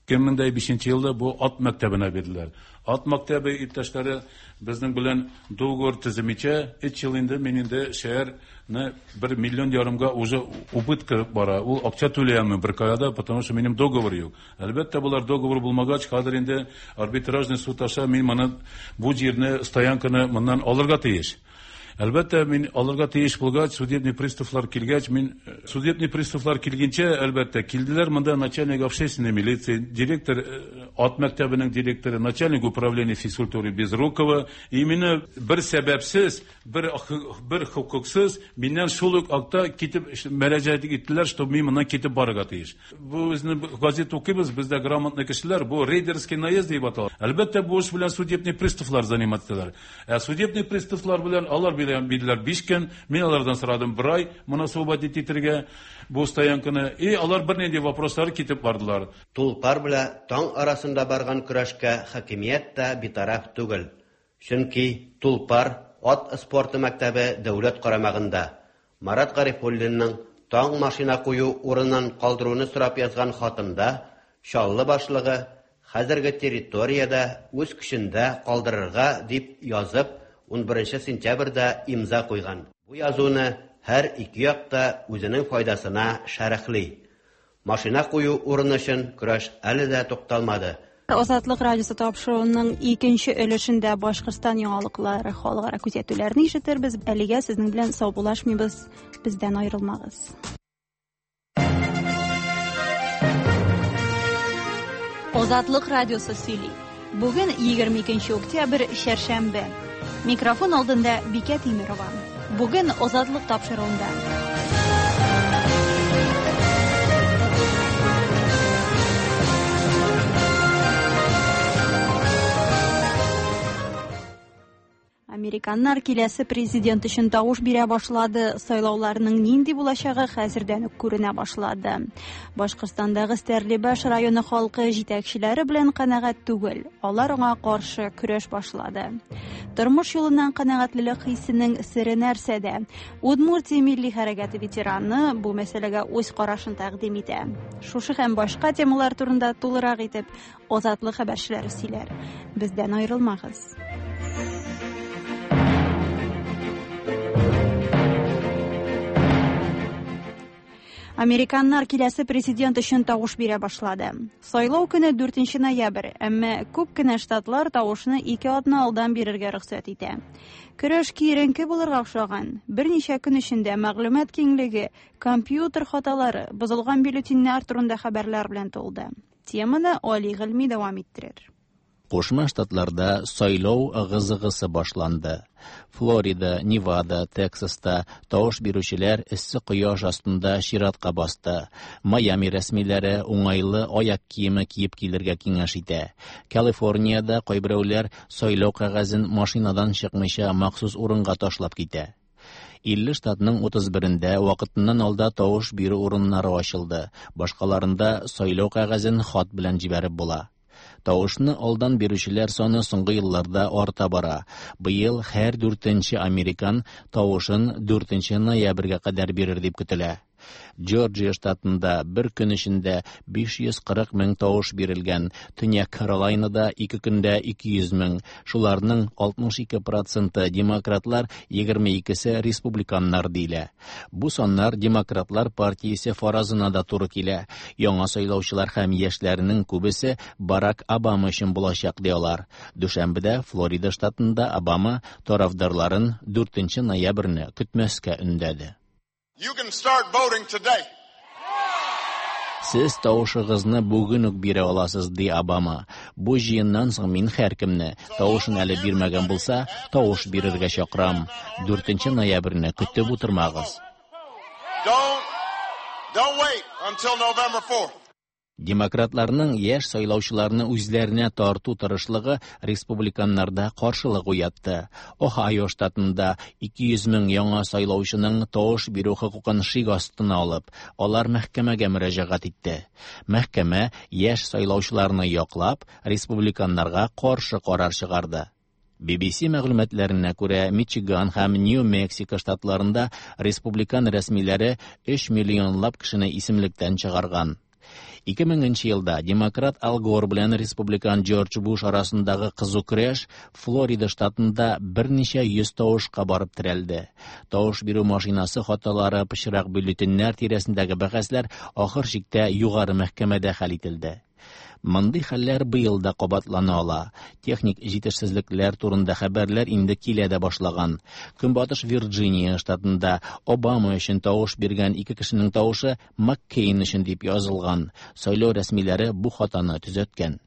ике мең дә бишенче елда бу ат мәктәбенә бирделәр. Ат мәктәбе иптәшләре безнең белән договор төземичә өч ел инде мин инде шәһәрне бер миллион ярымга уже убытка бара. Ул акча түләйме бер кая, потому что минем договор юк. Әлбәттә, булар договор булмагач, хәзер инде арбитражный суд аша мин моны бу җирне, стоянканы моннан алырга тиеш. Әлбәттә, мин алырга тиеш булгач, судебный приставлар килгәч, мин судебный приставлар килгәнчә, әлбәттә, килделәр монда начальник общественной милиции, директор Ат мәктәбенең директоры, начальник управления физкультуры Безрукова. И мине бер сәбәпсез, бер бер хокуксыз миннән шул ук акта китеп мөрәҗәгать иттеләр, что мин моннан китеп барырга тиеш. Бу безне газет укыйбыз, бездә грамотный кешеләр, бу рейдерский наезд дип атала. Әлбәттә, бу эш белән судебный приставлар заниматься. Ә судебный приставлар белән алар биләр биш көн, мин алардан сорадым бер ай моны освободить итәргә бу стоянканы. И алар бернинди вопрослар китеп бардылар. Тулпар белән таң арасында барган көрәшкә хакимият тә битараф түгел. Чөнки Тулпар ат спорты мәктәбе дәүләт карамагында. Марат Гарифуллинның таң машина кую урынын калдыруны сорап язган хатында Чаллы башлыгы хәзерге территориядә үз көчендә калдырырга дип язып ун беренче сентябрьдә имза куйган. Бу язуны һәр ике як та үзенең файдасына шәрехли. Машина кую урыны өчен көрәш әле дә тукталмады. Азатлык радиосы тапшыруының икенче өлешендә Башкортстан яңалыклары, халыкара күзәтүләрне ишетербез. Әлегә сезнең белән саубуллашмыйбыз, бездән аерылмагыз. Азатлык радиосы сөйли. Бүген егерме икенче октябрь, чәршәмбе. Микрофон алдында Бикә Тимирова. Бүген Азатлык тапшыруында. Американнар киләсе президент өчен тавыш бирә башлады. Сайлауларның нинди булачагы хәзердән үк күренә башлады. Башкортстандагы Стәрлебаш районы халкы җитәкчеләре белән канәгать түгел. Алар аңа каршы көрәш башлады. Тормыш юлыннан канәгатьлелек хисенең сере нәрсәдә? Удмуртия милли хәрәкәте ветераны бу мәсьәләгә үз карашын тәкъдим итә. Шушы һәм башка темалар турында тулырак итеп Азатлык хәбәрчеләре сөйләр. Бездән аерылмагыз. Американнар киләсе президент өчен тавыш бирә башлады. Сайлау көне дүртенче ноябрь, әмма күп кенә штатлар тавышны ике атна алдан бирергә рөхсәт итә. Көрәш киеренке булырга охшаган. Берничә көн эчендә мәгълүмат киңлеге, компьютер хаталары, бозылган бюллетеньнәр турында хәбәрләр белән тулды. Теманы Али Гыйльми дәвам иттерер. Кушма Штатларда сайлау ыгы-зыгысы башланды. Флорида, Невада, Тексаста тавыш бирүчеләр эссе кояш астында чиратка басты. Майами рәсмиләре уңайлы аяк киеме киеп килергә киңәш итә. Калифорниядә кайберәүләр сайлау кәгазен машинадан чыкмыйча махсус урынга ташлап китә. Илле штатның утыз берендә вакытыннан алда тавыш бирү урыннары ачылды. Башкаларында сайлау кәгазен хат белән җибәреп була. Тавышны алдан бирүчеләр саны соңгы елларда арта бара. Быел һәр дүртенче американ тавышын дүртенче ноябрьгә кадәр бирер дип көтелә. Джорджия штатында бер көн эчендә биш йөз кырык мең тавыш бирелгән, Төньяк Каролайнада ике көндә ике йөз мең. Шуларның алтмыш ике проценты демократлар, егерме икесе республиканнар диелә. Бу саннар демократлар партиясе фаразына да туры килә. Яңа сайлаучылар һәм яшьләрнең күбесе Барак Обама өчен булачак ди алар. Дүшәмбедә Флорида штатында Обама тарафдарларын дүртенче ноябрьне көтмәскә өндәде. You can start voting today. Сез тавышыгызны бүген үк бирә аласыз, ди Обама. Бу җыеннан соң мин һәркемне, тавышын әле бирмәгән булса, тавыш бирергә чакырам. Дүртенче ноябрьне көтеп утырмагыз. Don't, don't wait until November fourth. Демократларның яшь сайлаучыларны үзләренә тарту тырышлыгы республиканнарда каршылык уятты. Ohio штатында ике йөз мең яңа сайлаучының тавыш бирү хокукын шик астына алып, алар мәхкәмәгә мөрәҗәгать итте. Мәхкәмә яшь сайлаучыларны яклап, республиканнарга каршы карар чыгарды. Би би си мәгълүматларына күрә, Мичиган һәм Нью-Мексико штатларында республикан рәсмиләре өч миллионлап кешене исемлектән чыгарган. Ике меңенче елда демократ Ал Гор белән республикан Джордж Буш арасындагы кызу көрәш Флорида штатында берничә йөз тавышка барып терәлде. Тавыш бирү машинасы хаталары, пычрак бюллетеньнәр тирәсендәге бәхәсләр ахыр чиктә югары мәхкәмәдә хәл ителде. Мондый хәлләр быел да кабатлана ала. Техник җитешсезлекләр турында хәбәрләр инде килә дә башлаган. Көнбатыш Вирджиния штатында Обама өчен тавыш биргән ике кешенең тавышы Маккейн өчен дип язылган. Сайлау рәсмиләре бу хатаны төзәткән.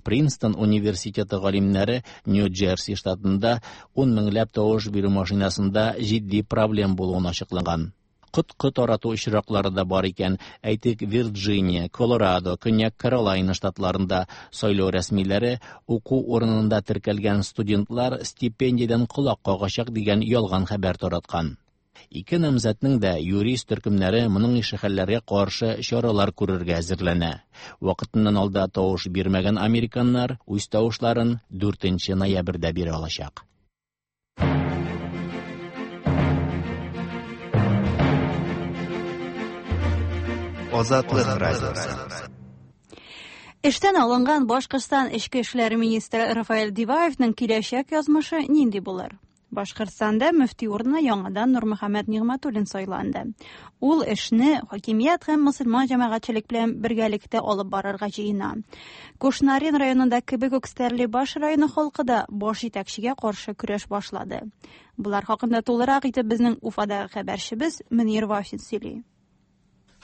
Принстон университеты галимнәре Нью-Джерси штатында ун меңләп тавыш бирү машинасында җитди проблем булуын ачыклаган. Коткы тарату очраклары да бар икән. Әйтик, Вирджиния, Колорадо, Көньяк Каролайна штатларында сайлау рәсмиләре уку урынында теркәлгән студентлар стипендиядән колак кагачак дигән ялган хәбәр тараткан. Ике намзәтнең дә юрист төркемнәре моның ише хәлләргә каршы чаралар күрергә әзерләнә. Вакытыннан алда тавыш бирмәгән американнар үз тавышларын дүртенче ноябрьдә бирә алачак. Азатлык радиосы. Эштән алынган Башкортстан эчке эшләр министры Рафаэль Диваевның киләчәк язмышы нинди булыр? Башкортстанда мөфти урынына яңадан Нурмөхәммәт Нигъмәтуллин сайланды. Ул эшне хакимият һәм мөселман җәмәгатьчелек белән бергәлектә алып барырга җыена. Кушнарин районында кебек үк Стәрлебаш районы халкы да баш җитәкчегә каршы көрәш башлады. Булар хакында тулырак итеп безнең Уфадагы хәбәрчебез Мөнир Вафин сөйли.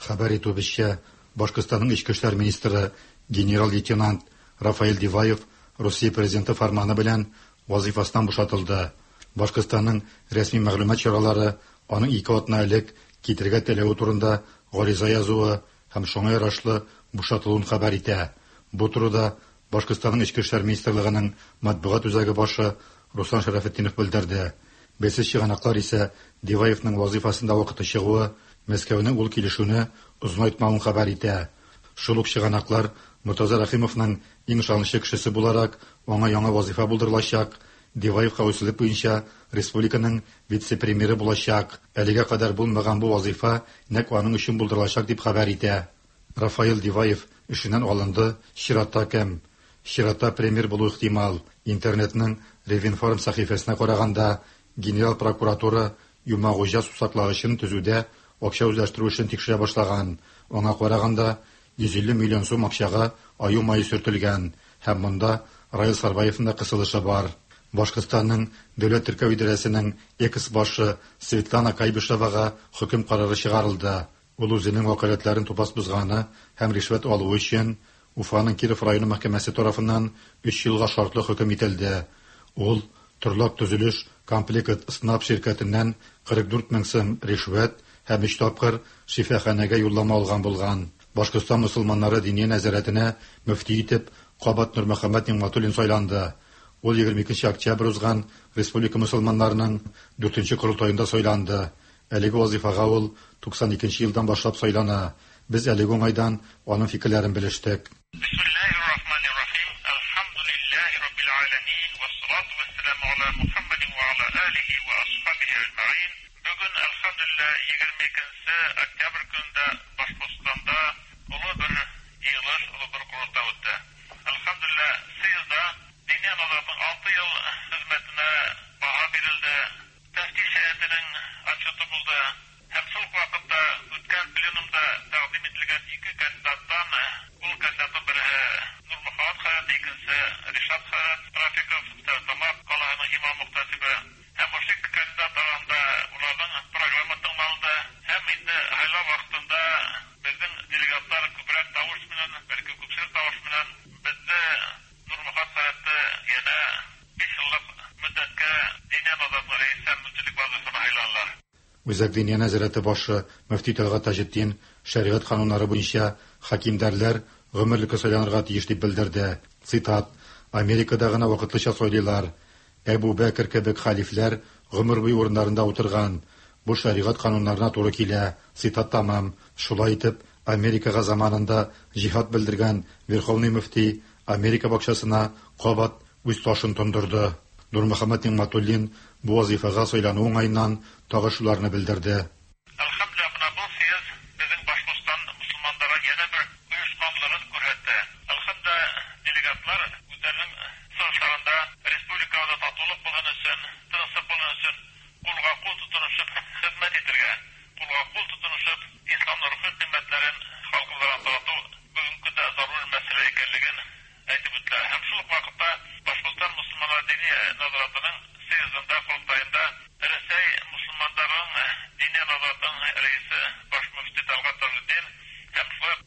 Хәбәр итүебезчә, Башкортстанның эчке эшләр министры генерал-лейтенант Рафаэль Диваев Русия президенты фарманы белән вазифасыннан бушатылды. Башкортстанның рәсми мәгълүмат чаралары аның ике атна элек китергә теләве турында гариза язуы һәм шуңа ярашлы бушатылуын хәбәр итә. Бу турыда Башкортстанның эчке эшләр министрлыгының матбугат үзәге башы Руслан Шәрәфетдинов белдерде. Бәйсез чыганаклар исә Диваевның вазифасында вакыты чыгуы Мәскәүнең ул килешүне озынайтмавын хәбәр итә. Шул ук чыганаклар Муртаза Рәхимовның иң ышанычлы кешесе буларак аңа яңа вазифа булдырылачак. Диваев хәвефсезлек буенча республиканың вице-премьеры булачак. Әлегә кадәр булмаган бу вазифа нәкъ аның өчен булдырылачак дип хәбәр итә. Рафаэль Диваев эшеннән алынды, чиратта кем? Чиратта премьер булу ихтимал. Интернетның Ревинформ сәхифәсенә караганда, генерал прокуратура Юмагуҗа сусаклагычын төзүдә акча үзләштерү эшен тикшерә башлаган. Аңа караганда йөз илле миллион сум акчага аю мае сөртелгән һәм монда Раил Сарбаевның да кысылышы бар. Башкортстанның Дәүләт теркәү идарәсенең экс-башы Светлана Кайбышевага хөкем карары чыгарылды. Ул үзенең вәкаләтләрен тупас бозганы һәм ришвәт алуы өчен Уфаның Киров районы мәхкәмәсе тарафыннан өч елга шартлы хөкем ителде. Ул Торлак төзелеш комплект СНАП ширкәтеннән кырык дүрт мең сум ришвәт һәм өч тапкыр шифаханәгә юллама алган булган. Башкортстан мөселманнары диния нәзарәтенә мөфти итеп кабат Нурмөхәммәт Нигъмәтуллин сайланды. Ул егерме икенче октябрь узган республика мөселманнарының дүртенче корылтаенда сайланды. Әлеге вазифага ул туксан икенче елдан башлап сайлана. Без әлеге уңайдан аның фикерләрен белештек. Үзәк диния нәзарәте башы мөфти Тәлгать Таҗетдин шәригать кануннары буенча хакимдәрләр гомерлеккә сайланырга тиеш дип белдерде. Цитат: Америкада гына вакытлыча сайлыйлар. Әбу Бәкер кебек халифләр гомер буе урыннарында утырган. Бу шәригать кануннарына туры килә. Цитат тамам. Шулай итеп, Америкага заманында җиһад белдергән Верховный мөфти Америка бакчасына кабат үз ташын тондырды. Нурмөхәммәт Нигъмәтуллин бу вазифага сайлану уңаеннан тагы шуларны белдерде.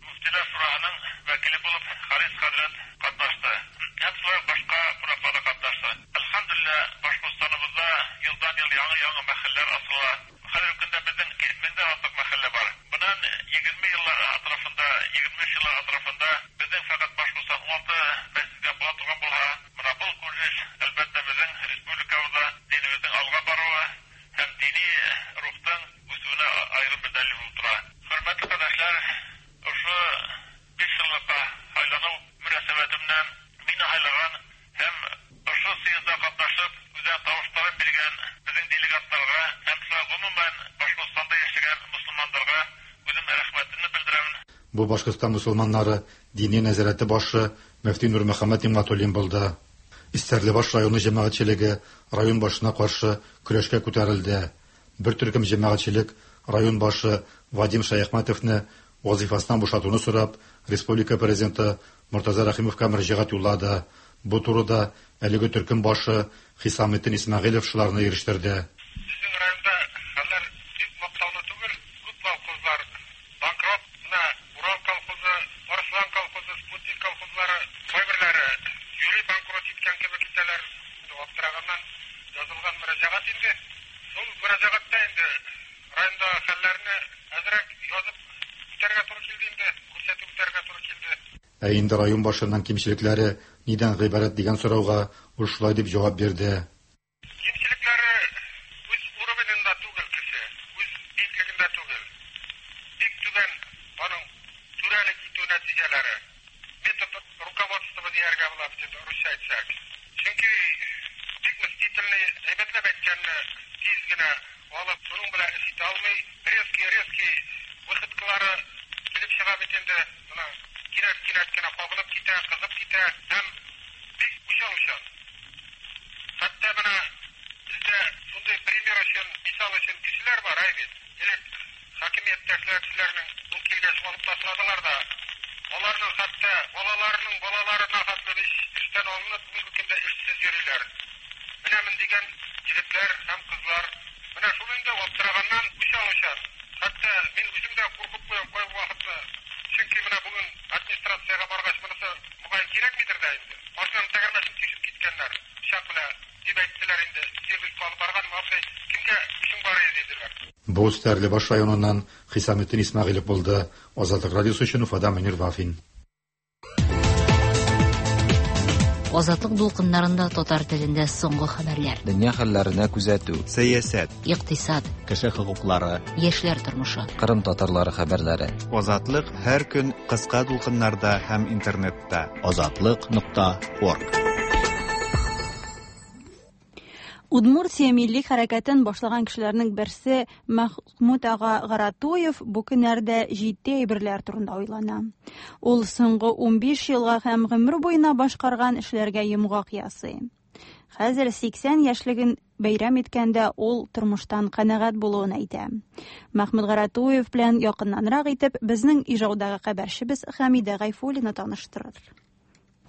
Мөфтиләр Шурасының вәкиле булып Харис хәзрәт катнашты. шулай башка кунаклар да катнашты. Әлхәмдүлилләһ, Башкортстаныбызда елдан-ел яңа-яңа мәхәлләр асыла. Хәзерге көндә безнең меңдән артык мәхәллә бар. Буннан егерме еллар атрафында, егерме өч еллар атрафында безнең фәкать Башкортстан ун алты мәсҗидгә була торган булһа, менә был күренеш, әлбәттә, безнең республикабызда динебезнең алга баруы һәм дини рухтың үсүенә аерым бер дәлил булып тора. Хөрмәтле кардәшләр, ошо биш еллыкка һайланыу мөнәсәбәте белән мине һайлаган һәм ошо съездда катнашып, үзенең тавышларын биргән безнең делегатларга һәм шулай гомумән Башкортстанда яшәгән мөселманнарга үзем рәхмәтемне белдерәмен. Бу Башкортстан мөселманнары дини нәзарәте башы мөфти Нурмөхәммәт Нигъмәтуллин булды. Стәрлебаш районы җәмәгатьчелеге район башына каршы көрәшкә күтәрелде. Бер төркем җәмәгатьчелек район башы Вадим Шаяхмәтовны вазифасыннан бушатуны сорап, республика президенты Мортаза Рәхимовка мөрәҗәгать юллады. Бу турыда әлеге төркем башы Хисаметдин Исмәгыйлев шуларны ирештерде. Безнең районда хәлләр бик мактаулы түгел, күп колхозлар банкрот, менә Урал колхозы, Арыслан колхозы, Спутник колхозлары, кайберләре юри банкрот иткән кебек итәләр. Аптыраганнан язылган мөрәҗәгать инде. Шул мөрәҗәгатьтә инде районда хәлләрне әзрәк язып үтәргә туры килде инде, күрсәтеп үтәргә туры килде. Ә инде район башының кимчелекләре нидән гыйбарәт дигән сорауга ул шулай дип җавап бирде. Кимчелекләре үз уровенендә түгел кеше, үз биеклегендә түгел. Бик түбән аның түрәлек итү нәтиҗәләре. Метод руководства дияргә була бит инде русча әйтсәк. Чөнки бик мстительный, әйбәтләп әйткәнне тиз генә алып, шуның белән эш итә алмый. Резкий, резкий выходкалары килеп чыга бит инде. Менә кинәт-кинәт кенә кабынып китә, кызып китә һәм бик уйчан-уйчан. Хәтта менә бездә шундый пример өчен, мисал өчен кешеләр бар, әй бит. Элек хакимияттә эшләүчеләрнең ул килгәч алып ташладылар да, аларның хәтта балаларының балаларына хәтле эштән алынып, бүгенге көндә эшсез йөриләр. Менә мин дигән егетләр һәм кызлар. Менә шул инде аптыраганнан уйчан-уйчан. Хәтта мин үзем дә куркып куям кайбер вакытта. Чөнки менә бүген администрациягә баргач, монысы мөгаен кирәкмидер дә инде. Машинаның тәгәрмәчен тишеп киткәннәр. Пычак белән дип әйттеләр инде. Сервиска алып барган, абзый, кемгә эшең бар иде диделәр. Бу Стәрлебаш районыннан Хисаметдин Исмәгыйлев булды. Азатлык радиосы өчен Уфадан Мөнир Вафин. Азатлык дулкыннарында татар телендә соңгы хәбәрләр. Дөнья хәлләренә күзәтү, сәясәт, икътисад, кеше хокуклары, яшьләр тормышы, Кырым татарлары хәбәрләре. Азатлык һәр көн кыска дулкыннарда һәм интернетта. Азатлык нокта орг. Удмуртия милли хәрәкәтен башлаган кешеләрнең берсе Мәхмүт ага Гаратуев бу көннәрдә җитди әйберләр турында уйлана. Ул соңгы унбиш елга һәм гомер буена башкарган эшләргә йомгак ясый. Хәзер сиксән яшьлеген бәйрәм иткәндә ул тормыштан канәгать булуын әйтә. Мәхмүт Гаратуев белән якыннанрак итеп безнең Ижаудагы хәбәрчебез Хәмидә Гайфуллина таныштырыр.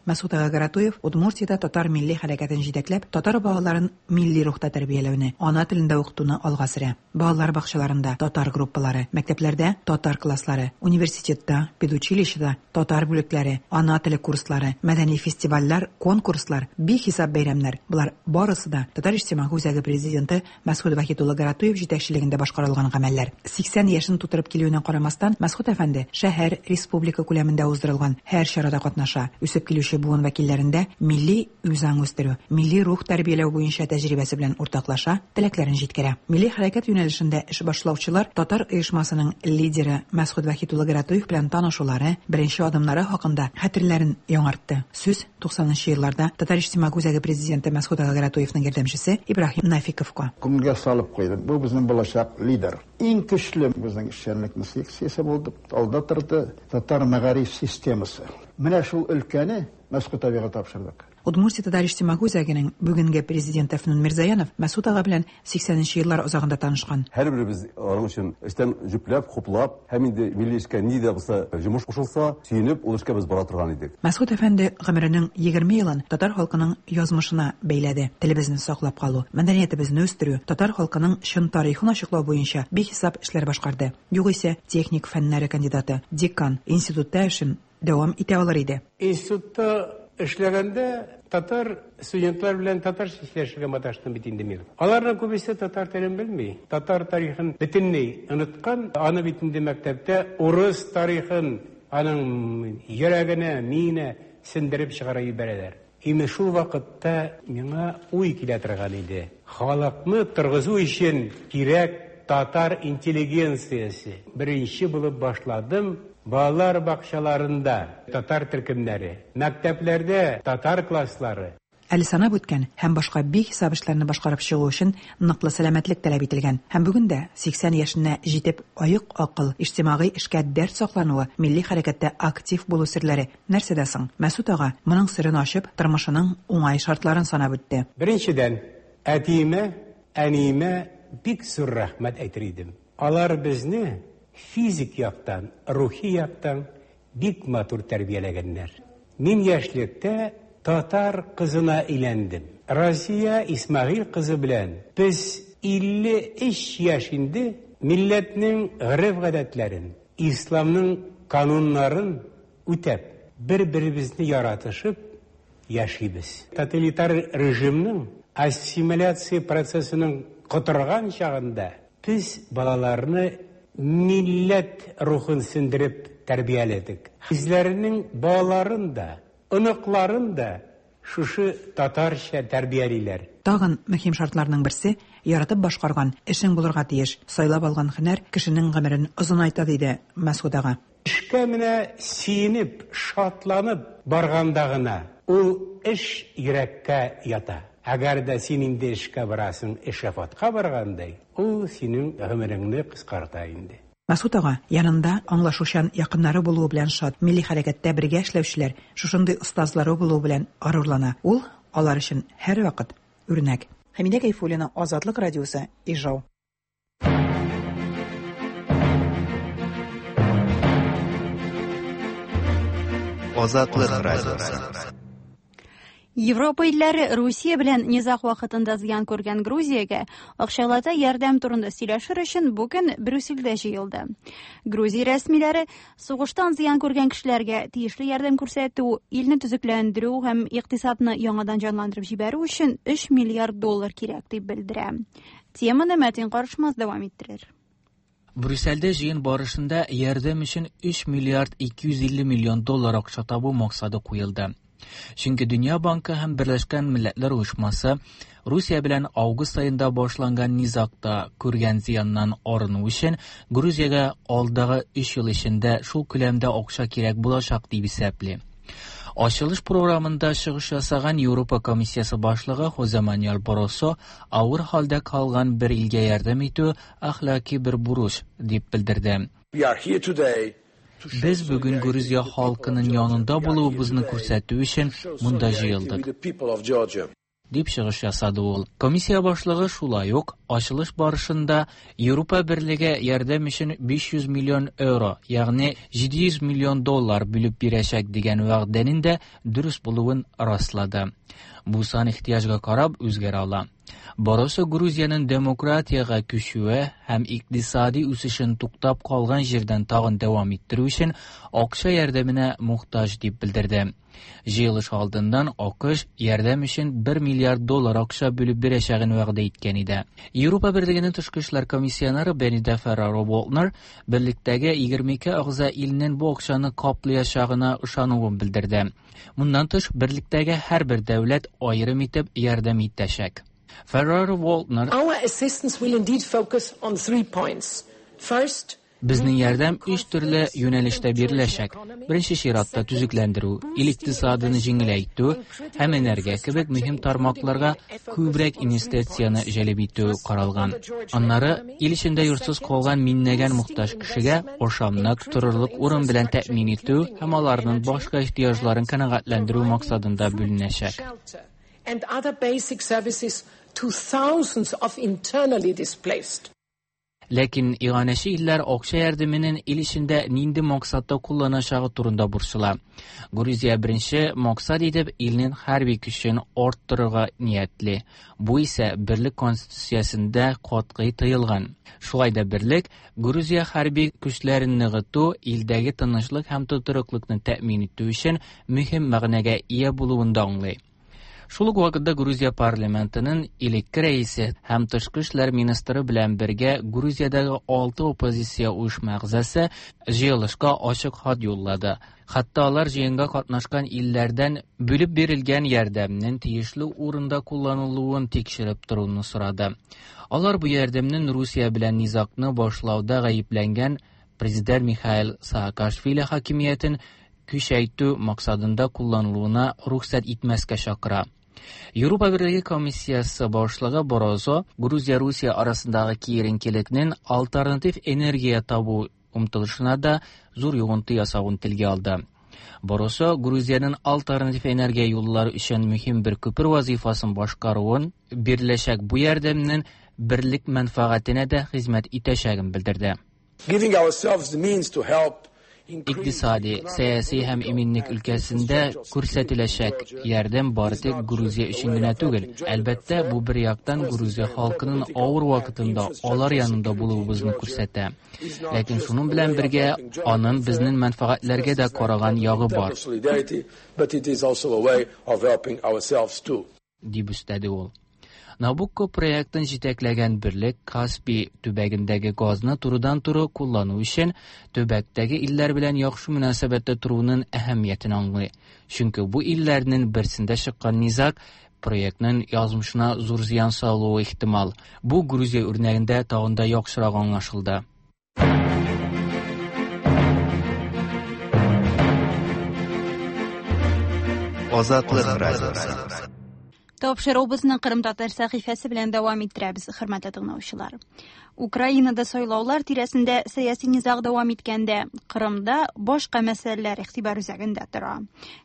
Мәсхүт ага Гаратуев Удмуртиядә татар милли хәрәкәтен җитәкләп, татар балаларын милли рухта тәрбияләүне, ана телендә укытуны алга сөрә. Балалар бакчаларында татар группалары, мәктәпләрдә татар класслары, университетта, педучилищеда татар бүлекләре, ана теле курслары, мәдәни фестивальләр, конкурслар, бихисап бәйрәмнәр. Болар барысы да Татар иҗтимагый үзәге президенты Мәсхүт Вахит улы Гаратуев җитәкчелегендә башкарылган гамәлләр. Сиксән яшен тутырып килүенә карамастан, Мәсхүт әфәнде шәһәр, республика күләмендә уздырылган һәр чарада катнаша. Үсеп килүче буын вәкилләрендә милли үзаң үстерү, милли рух тәрбияләү буенча тәҗрибәсе белән уртаклаша, теләкләрен җиткерә. Милли хәрәкәт юнәлешендә эш башлаучылар татар оешмасының лидеры Мәсхүт Вахит улы Гаратуев белән танышулары, беренче адымнары хакында хәтерләрен яңартты. Сүз туксанынчы елларда Татар иҗтимагый үзәге президенты Мәсхүт ага Гаратуевның ярдәмчесе Ибраһим Нафиковка. Күңелгә салып куйды. Бу безнең булачак лидер. Иң көчле безнең эшчәнлекнең секциясе булды. Алда торды татар мәгариф системасы. Менә шул өлкәне Мәсхүт абыйга тапшырдык. Удмуртия Татар иҗтимагый үзәгенең бүгенге президенты Фнун Мирзаянов Мәсхүт ага белән сиксәненче еллар азагында танышкан. Һәрберебез аның өчен эштән җөпләп, хуплап, һәм инде милли эшкә ни дә булса җомыш кушылса, сөенеп, ул эшкә без бара торган идек. Мәсхүт әфәнде гомеренең егерме елын татар халкының язмышына бәйләде. Телебезне саклап калу, мәдәниятебезне үстерү, татар халкының чын тарихын ачыклау буенча бихисап эшләр башкарды. Югыйсә, техник фәннәре кандидаты, декан, институтта эшен дәвам итә алыр иде. Институтта Эшләгәндә татар студентлар белән татарча сөйләшергә маташтым бит инде мин. Аларның күбесе татар телен белми. Татар тарихын бөтенләй оныткан. Аны бит инде мәктәптә урыс тарихын аның йөрәгенә, миенә сеңдереп чыгара җибәрәләр. Име шул вакытта миңа уй килә торган иде. Халыкны торгызу өчен кирәк татар интеллигенциясе. Беренче булып башладым. Балалар бакчаларында татар төркемнәре, мәктәпләрдә татар класслары. Әле санап үткән һәм башка бихисап эшләрне башкарып чыгу өчен ныклы сәламәтлек таләп ителгән. Һәм бүген дә сиксән яшенә җитеп аек акыл, иҗтимагый эшкә дәрт саклануы, милли хәрәкәттә актив булу серләре нәрсәдә соң? Мәсут ага моның серен ачып, тормышының уңай шартларын санап үтте. Беренчедән, әтиемә, әниемә бик зур рәхмәт әйтер идем. Алар безне физик яктан, рухи яктан бик матур тәрбияләгәннәр. Мин яшьлектә татар кызына әйләндем. Разия Исмагыйль кызы белән без илле өч яшь инде милләтнең гореф-гадәтләрен, исламның кануннарын үтәп, бер-беребезне яратышып яшибез. Тоталитар режимның ассимиляция процессының котырган чагында без балаларны милләт рухын сеңдереп тәрбияләдек. Үзләренең балаларын да, оныкларын да шушы татарча тәрбиялиләр. Тагын мөһим шартларның берсе яратып башкарган эшең булырга тиеш. Сайлап алган һөнәр кешенең гомерен озынайта, диде Мәсгут ага. Эшкә менә сөенеп, шатланып барганда гына ул эш йөрәккә ята. Әгәр дә син инде эшкә барасың, эшафатка баргандай, ул синең гомереңне кыскарта инде. Мәсут ага янында аңлашучан якыннары булуы белән шат, милли хәрәкәттә бергә эшләүчеләр, шушындый остазлары булуы белән горурлана. Ул алар өчен һәрвакыт үрнәк. Хәмидә Гайфуллина, Азатлык радиосы, Ижау. Азатлык радиосы. Европа илләре Русия белән низаг вакытында зыян күргән Грузиягә акчалата ярдәм турында сөйләшер өчен бүген Брюссельдә җыелды. Грузия рәсмиләре сугыштан зыян күргән кешеләргә тиешле ярдәм күрсәтү, илне төзекләндерү һәм икътисадны яңадан җанландырып җибәрү өчен өч миллиард доллар кирәк дип белдерә. Теманы Мәтин Карышмас дәвам иттерер. Брюссельдә җыен барышында ярдәм өчен өч миллиард ике йөз илле миллион доллар акча табу максаты куелды. Чөнки Дөнья банкы һәм Берләшкән Милләтләр Оешмасы Русия белән август аенда башланган низагта күргән зыяннан арыну өчен Грузиягә алдагы өч ел эчендә шул күләмдә акча кирәк булачак дип исәпли. Ачылыш програмында чыгыш ясаган Европа комиссиясе башлыгы Хозе Мануэль Барросо авыр хәлдә калган бер илгә ярдәм итү әхлаки бер бурыч дип белдерде. We are here today. Без бүген Грузия халкының янында булуыбызны күрсәтү өчен монда җыелдык, дип чыгыш ясады ул. Комиссия башлыгы шулай ук ачылыш барышында Европа берлеге ярдәм өчен биш йөз миллион евро, ягъни җиде йөз миллион доллар бүлеп бирәчәк дигән вәгъдәнең дә дөрес булуын раслады. Бу сан ихтыяҗга карап үзгәрә ала. Барросо Грузиянең демократиягә күчүе һәм икътисади үсешен туктап калган җирдән тагын дәвам иттерү өчен акча ярдәменә мохтаҗ дип белдерде. Җыелыш алдыннан АКШ ярдәм өчен бер миллиард доллар акча бүлеп бирәчәген вәгъдә иткән иде. Европа Берлегенең тышкы эшләр комиссионеры Бенида Ферраро-Волтнер берлектәге егерме ике әгъза илнең бу акчаны каплаячагына ышануын белдерде. Моннан тыш, берлектәге һәрбер дәүләт аерым итеп ярдәм итәчәк. Ferrero-Waldner: Our assistance will indeed focus on three points. First, Безнең ярдәм өч төрле юнәлештә биреләчәк. Беренче чиратта төзекләндерү, ил икътисадын җиңеләйтү һәм энергия кебек мөһим тармакларга күбрәк инвестицияне җәлеп итү каралган. Аннары ил эчендә йортсыз калган миңнәгән мохтаҗ кешегә ашамлык, торырлык урын белән тәэмин итү һәм аларның башка ихтыяҗларын канәгатьләндерү максатында бүленәчәк. And other basic services to thousands of internally displaced. Ләкин иганәче илләр акча ярдәменең ил эчендә нинди максатта кулланачагы турында борчыла. Грузия беренче максат итеп илнең хәрби көчен арттырырга ниятли. Бу исә Берлек конституциясендә катгый тыелган. Шулай да Берлек Грузия хәрби көчләрен ныгыту илдәге тынычлык һәм тотрыклыкны тәэмин итү өчен мөһим мәгънәгә ия булуын да аңлый. Шул ук вакытта Грузия парламентының элекке рәисе һәм тышкы эшләр министры белән бергә Грузиядәге алты оппозиция оешма әгъзасы җыелышка ачык хат юллады. Хатта алар җыенга катнашкан илләрдән бүлеп бирелгән ярдәмнең тиешле урында кулланылуын тикшереп торуны сорады. Алар бу ярдәмнең Русия белән низагны башлауда гаепләнгән президент Михаил Саакашвили хакимиятен көчәйтү максатында кулланылуына рөхсәт итмәскә чакыра. Европа Берлеге комиссиясы башлыгы Барозо Грузия-Русия арасындагы киеренкелекнең альтернатив энергия табу омтылышына да зур йогынты ясавын телгә алды. Барозо Грузиянең альтернатив энергия юллары өчен мөһим бер күпер вазифасын башкаруын, биреләчәк бу ярдәмнең берлек мәнфәгатенә дә хезмәт итәчәген белдерде. Giving ourselves the means to help Икътисади, сәяси һәм иминлек өлкәсендә күрсәтеләчәк ярдәм бары тик Грузия өчен генә түгел. Әлбәттә, бу бер яктан Грузия халкының авыр вакытында алар янында булуыбызны күрсәтә. Ләкин шуның белән бергә аның безнең мәнфәгатьләргә дә караган ягы бар, дип өстәде ул. Набукко проектын җитәкләгән Берлек Каспий төбәгендәге газны турыдан-туры куллану өчен төбәктәге илләр белән яхшы мөнәсәбәттә торуның әһәмиятен аңлый. Чөнки бу илләрнең берсендә чыккан низаг проектның язмышына зур зыян салуы ихтимал. Бу Грузия үрнәгендә тагын да яхшырак аңлашылды. Азатлык радиосы. Тапшыруыбызны Кырым татар сәхифәсе белән дәвам иттерәбез, хөрмәтле тыңлаучылар. Украинада сайлаулар тирәсендә сәяси низаг дәвам иткәндә, Кырымда башка мәсьәләләр игътибар үзәгендә тора.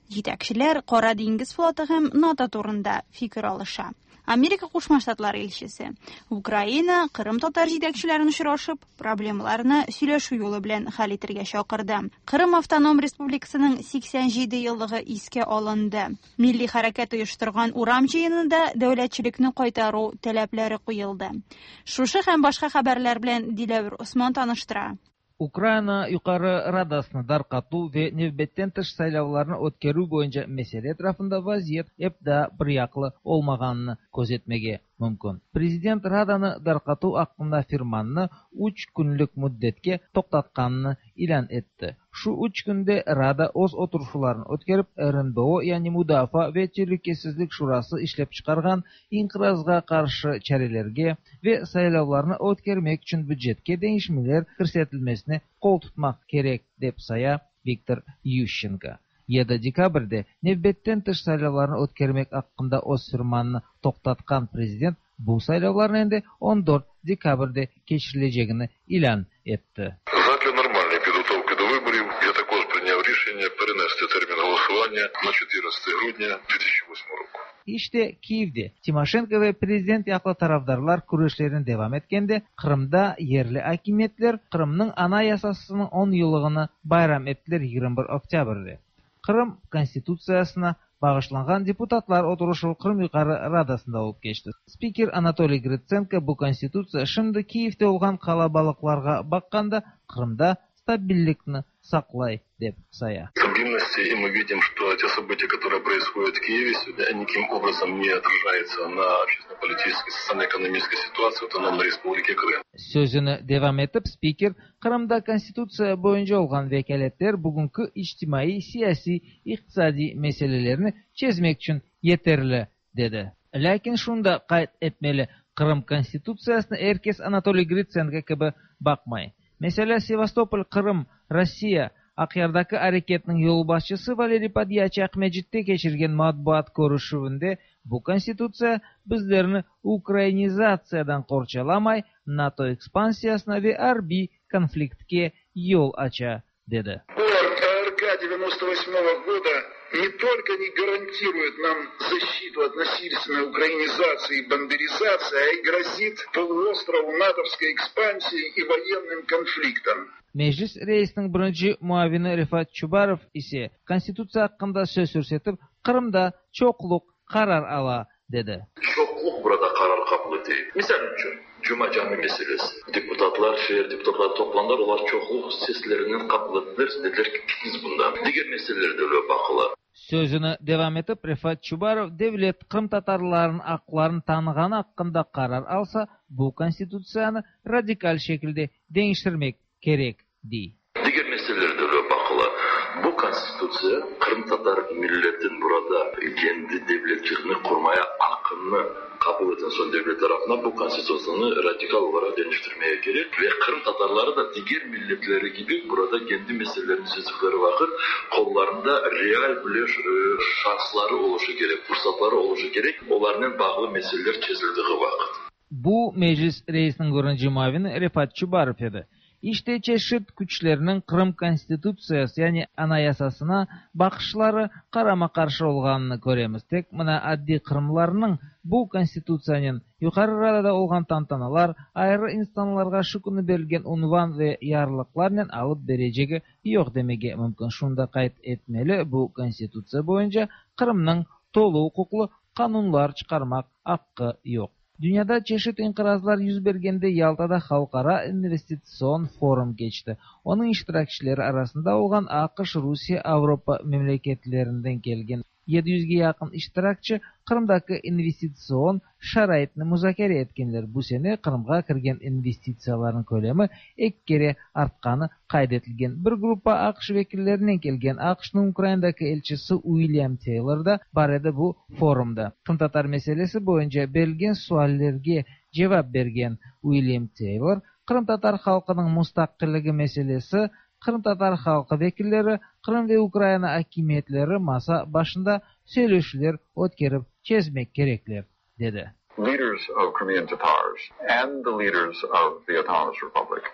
Җитәкчеләр Кара диңгез флоты һәм НАТО турында фикер алыша. Америка Кушма Штатлары илчесе Украина Кырым татар җитәкчеләрен очрашып, проблемаларны сөйләшү юлы белән хәл итәргә чакырды. Кырым автоном республикасының сиксән җиде еллыгы искә алынды. Милли хәрәкәт оештырган урам җыенында дәүләтчелекне кайтару таләпләре куелды. Шушы һәм башка хәбәрләр белән Диләвер Усман таныштыра. Украина Юқары Радасını darqatу ve nevbetten tış saylavlarını ötkerü boyunca mesele etrafında vaziyet hep daha bir yaqlı olmağanını közetmege mümkün. Prezident Radanı darqatу hakkında firmanını üç günlük müddetke toqtatqanını ilan etti. Şu üç günde Rada öz oturuşlarını ötkerip R N B O yani Müdafaa ve Tehlikesizlik Şurası işlep çıkargan inqirazga karşı çarelerge ve saylavlarını ötkermek için bücetke değişmeler kirsetilmesine kol tutmak gerek dep saya Viktor Yuşçenko. yedi dekabrde nevbetten tış saylavlarını ötkermek hakkında öz firmanını toqtatqan prezident bu saylavların endi on dört dekabrde keçirileceğini ilan etti. Задля нормальної підготовки до виборів я також прийняв рішення перенести термін голосування на чотирнадцяте грудня дві тисячі восьмого року. İşte Kiev'de Timoşenko ve prezident yaqlı tarafdarlar küreşlerini devam etkende Kırım'da yerli hakimiyetler Kırım'ın anayasasının on yıllığını bayram ettiler yigirmi bir oktyabrde. Kırım Konstitutsiyasına bağışlangan deputatlar oturuşu Kırım Yukarı Radasında olup geçti. Spiker Anatoliy Gritsenko bu konstitutsiya şimdi Kiev'de olgan kalabalıklarga baqqanda Kırım'da stabillikni saqlay dep saya. Стабильности, и мы видим, что те события, которые происходят в Киеве сегодня, они никаким образом не отражаются на общественно-политической, социально-экономической ситуации в Автономной Республике Крым. Sözünü devam etip spiker Kırımda konstitutsiya boyunca olgan vekaletler bugünkü ictimai, siyasi, iqtisadi meselelerini çezmek için yeterli dedi. Lakin şunu da qayd etmeli, Kırım konstitutsiyasına herkes Anatoliy Gritsenko gibi bakmay. Mesela Sevastopol, Kırım, Россия Aqyardaki areketniñ yolbaşçısı Valeriy Podyaçi Aqmescitte keçirgen matbuat körüşüvinde bu konstitutsiya bizlerni ukrainizatsiyadan qorçalamay, NATO ekspansiyasına ve arbiy konfliktke yol aça dedi. Р К девяносто восьмого года не только не гарантирует нам защиту от насильственной украинизации и бандеризации, а и грозит полуострову натовской экспансией и военным конфликтом. Meclis reisiniñ birinci muavini Refat Çubarov ise Konstitutsiya aqqında söz yürsetip, Qırımda çoqluq qarar ala, dedi. Çoqluq burada qarar qabul ete. Misal içün, Cuma Cami meselesi. Deputatlar, şeer deputatları toplandılar, olar çoqluq seslerinen qabul ettiler, dediler ki, biz bundan. Diger meseleler de öyle baqıla. Sözüni devam etip, Refat Çubarov devlet qırımtatarlarınıñ aqlarını tanığanı aqqında qarar alsa, bu Konstitutsiyanı radikal şekilde deñiştirmek kerek, dey. Diger meseleler de öyle baqıla. Bu Konstitutsiya qırımtatar milletin burada kendi devletçiligini qurmaya aqqını qabul etken soñ devlet tarafından bu Konstitutsiyanı radikal olaraq deñiştirmeye kerek ve qırımtatarları da diger milletleri kibi burada kendi meselelerini çezdikleri vaqıt qollarında real bile şansları oluşı kerek, fırsatları oluşı kerek, olarnen bağlı meseleler çezildiği vaqıt. Bu Meclis reisiniñ birinci muavini Refat Çubarov edi. İşte çeşit küçlerniñ Qırım Konstitutsiyası, yani Anayasasına baqışları qarama-qarşı olğanını köremiz. Tek mına addiy qırımlarnıñ bu Konstitutsiyanen Yuqarı Radada olğan tantanalar, ayrı insanlarğa şu künü berilgen unvan ve yarlıqlarnen alıp berecegi yoq demege mümkün. Şunı da qayd etmeli, bu Konstitutsiya boyunca Qırımnıñ tolu uquqlı qanunlar çıqarmaq aqqı yoq. Dünyada çeşit inqirazlar yüz bergende Yaltada Halqara investitsion forum keçti. Onıñ iştirakçileri arasında olğan AQŞ, Rusiye, Avropa memleketlerinden kelgen yedi yüzge yaqın iştirakçi Qırımdaki investitsion şaraitni muzakere etkenler. Bu sene Qırımğa kirgen investitsiyalarnıñ kölemi eki kere artqanı qayd etilgen. Bir gruppa AQŞ vekillerinen kelgen AQŞnıñ Ukrainadaki elçisi Uilyam Teylor da bar edi bu forumda. Qırımtatar meselesi boyunca berilgen suallerge cevap bergen Uilyam Teylor, qırımtatar halqınıñ mustaqilligi meselesi qırımtatar halqı vekilleri, Qırım ve Ukraina akimiyetleri masa başında söyleşüvler ötkerip çezmek kerekler, dedi. Leaders of Crimean Tatars and the leaders of the Autonomous Republic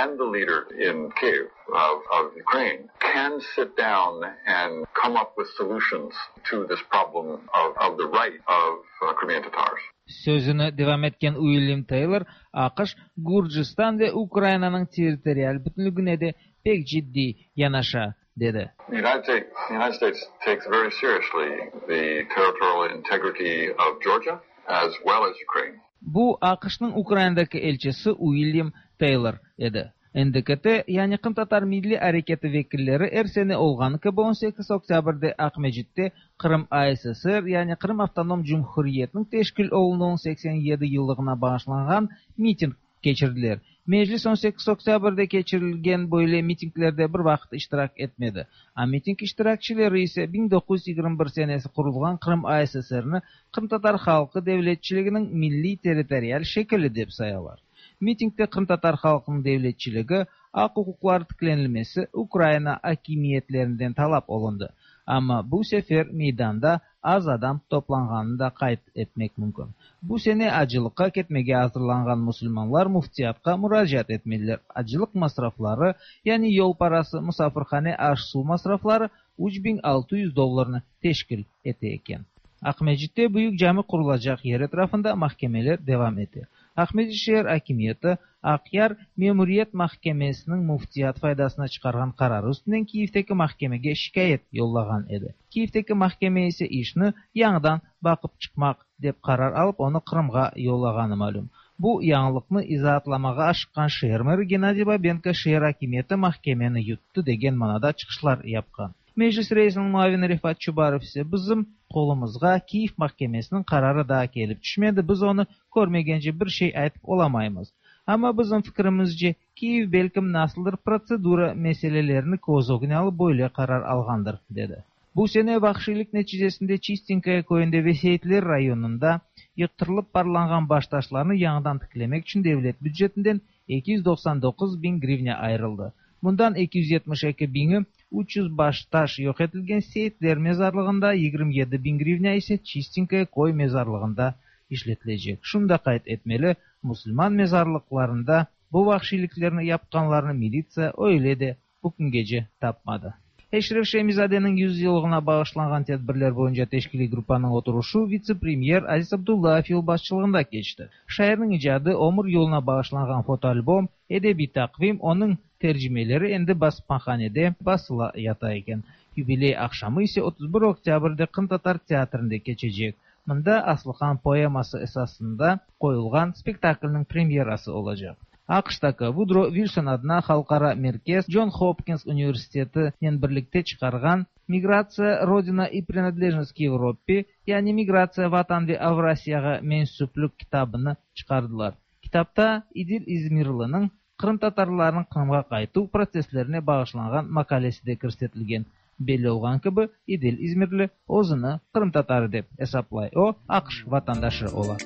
and the leader in Kiev of, of Ukraine can sit down and come up with solutions to this problem of, of the right of uh, Crimean Tatars. Sözüni devam etken Uilyam Teylor, AQŞ, Gürcistan ve Ukrainanıñ territorial bütünligine de pek ciddiy yanaşa, dedi. The United States, the United States takes very seriously the territorial integrity of Georgia as well as Ukraine. Bu AQŞnıñ Ukrainadaki elçisi Uilyam Teylor edi. N D K T, yani Qırımtatar Milliy Areketi vekilleri er sene olğanı kibi on sekiz oktâbrde Aqmescitte Qırım A S S R, yani Qırım Avtonom Cumhuriyetiniñ teşkil olunuvınıñ seksen yedi yıllığına bağışlanğan miting keçirdiler. Meclis on sekiz oktâbrde keçirilgen böyle mitinglerde bir vaqıt iştirak etmedi. A miting iştirakçileri ise biñ doquz yüz yigirmi bir senesi qurulğan Qırım A S S R'ni qırımtatar halqı devletçiliginiñ milliy territorial şekili dep sayalar. Mitingde qırımtatar halqınıñ devletçiligi, aq-uquqları tiklenilmesi Ukraina akimiyetlerinden talap olundı. Amma bu sefer meydanda az adam toplanğanını da qayd etmek mümkün. Bu sene acılıqqa ketmege azırlanğan musulmanlar müftiyatqa muracaat etmeliler. Acılıq masrafları, yani yol parası, musafirhane, aş-suv masrafları üç biñ altı yüz dollarnı teşkil ete eken. Aqmescitte büyük cami qurulacaq yer etrafında mahkemeler devam ete. Aqmescit şeer akimiyeti Aqyar Memuriyet mahkemesiniñ müftiyat faydasına çıqarğan qararı üstünden Kiyevdeki mahkemege şikâyet yollağan edi. Kiyevdeki mahkeme ise işni yañıdan baqıp çıqmaq dep qarar alıp onı Qırımğa yollağanı malüm. Bu yañılıqnı izaatlamağa aşıqqan şeer meri Gennadiy Babenko şeer akimiyeti mahkemeni yuttı degen manada çıqışlar yapqan. Meclis reisiniñ muavini Refat Çubarov ise bizim qolumızğa Kiyev mahkemesiniñ qararı daa kelip tüşmedi, biz onı körmegence bir şey aytıp olamaymız. Amma bizim fikrimizce Kiyev belkim nasıldır protsedura meselelerini köz ögüne alıp böyle qarar alğandır, dedi. Bu sene vahşiylik neticesinde Çistenkoye köyünde ve Seyitler rayonında yıqtırılıp parlanğan baştaşlarnı yañıdan tiklemek içün devlet bücetinden eki yüz doqsan doquz biñ grivna ayırıldı. Bundan eki yüz yetmiş eki biñi üç yüz baştaş yoq etilgen Seyitler mezarlığında, yigirmi yedi biñ grivna ise Çistenkoye köy mezarlığında işletilecek. Şunı da qayd etmeli, musulman mezarlıqlarında bu vahşiyliklerni yapqanlarnı militsiya öyle de bu küngece tapmadı. Eşref Şemizadeniñ yüz yıllığına bağışlanğan tedbirler boyunca teşkiliy gruppanıñ oturışı vitse-premyer Aziz Abdullayev yolbaşçılığında keçti. Şairniñ icadı, ömür yoluna bağışlanğan fotoalbom, edebiy taqvim, onıñ tercimeleri endi basmahanede basıla yata eken. Yubiley aqşamı ise otuz bir oktâbrde Qırımtatar teatrinde keçecek. Mında Aslıhan poeması esasında qoyulğan spektaklniñ premyerası olacaq. AQŞtaki Vudro Vilson adına halqara merkez John Hopkins universitetinen birlikte çıqarğan Migratsiya, Rodina и принадлежность к Европе, yani Migratsiya, Vatan ve Avrasiyağa mensüplik kitabını çıqardılar. Kitapta İdil İzmirliniñ qırımtatarlarnıñ Qırımğa qaytuv protsesslerine bağışlanğan maqalesi de kirsetilgen. Belli olğan kibi, İdil İzmirli özüni qırımtatarı dep esaplay. O, AQŞ vatandaşı ola.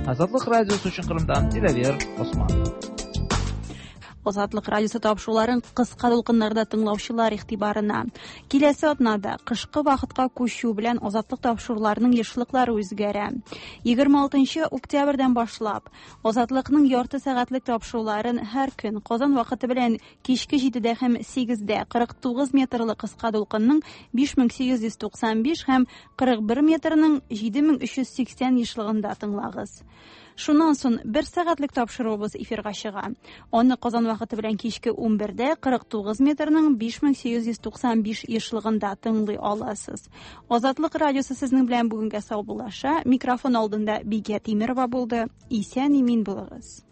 Azatlıq Radiosı içün Qırımdan Dilâver Osman. Азатлык радиосы тапшыруларын кыска дулкыннарда тыңлаучылар игътибарына. Киләсе атнада кышкы вакытка күчү белән Азатлык тапшыруларының ешлыклары үзгәрә. Егерме алтынчы октябрьдән башлап Азатлыкның ярты сәгатьлек тапшыруларын һәр көн Казан вакыты белән кичке җидедә һәм сигездә кырык тугыз метрлы кыска дулкынның биш мең сигез йөз туксан биш һәм кырык бер метрның җиде мең өч йөз сиксән ешлыгында тыңлагыз. Шуннан соң бер сәгатьлек тапшыруыбыз эфирга чыга. Аны Казан вакыты белән кичке унбердә кырык тугыз метрның биш мең сигез йөз туксан биш ешлыгында тыңлый аласыз. Азатлык радиосы сезнең белән бүгенгә саубуллаша. Микрофон алдында Бигә Тимирова булды. Исән имин булыгыз.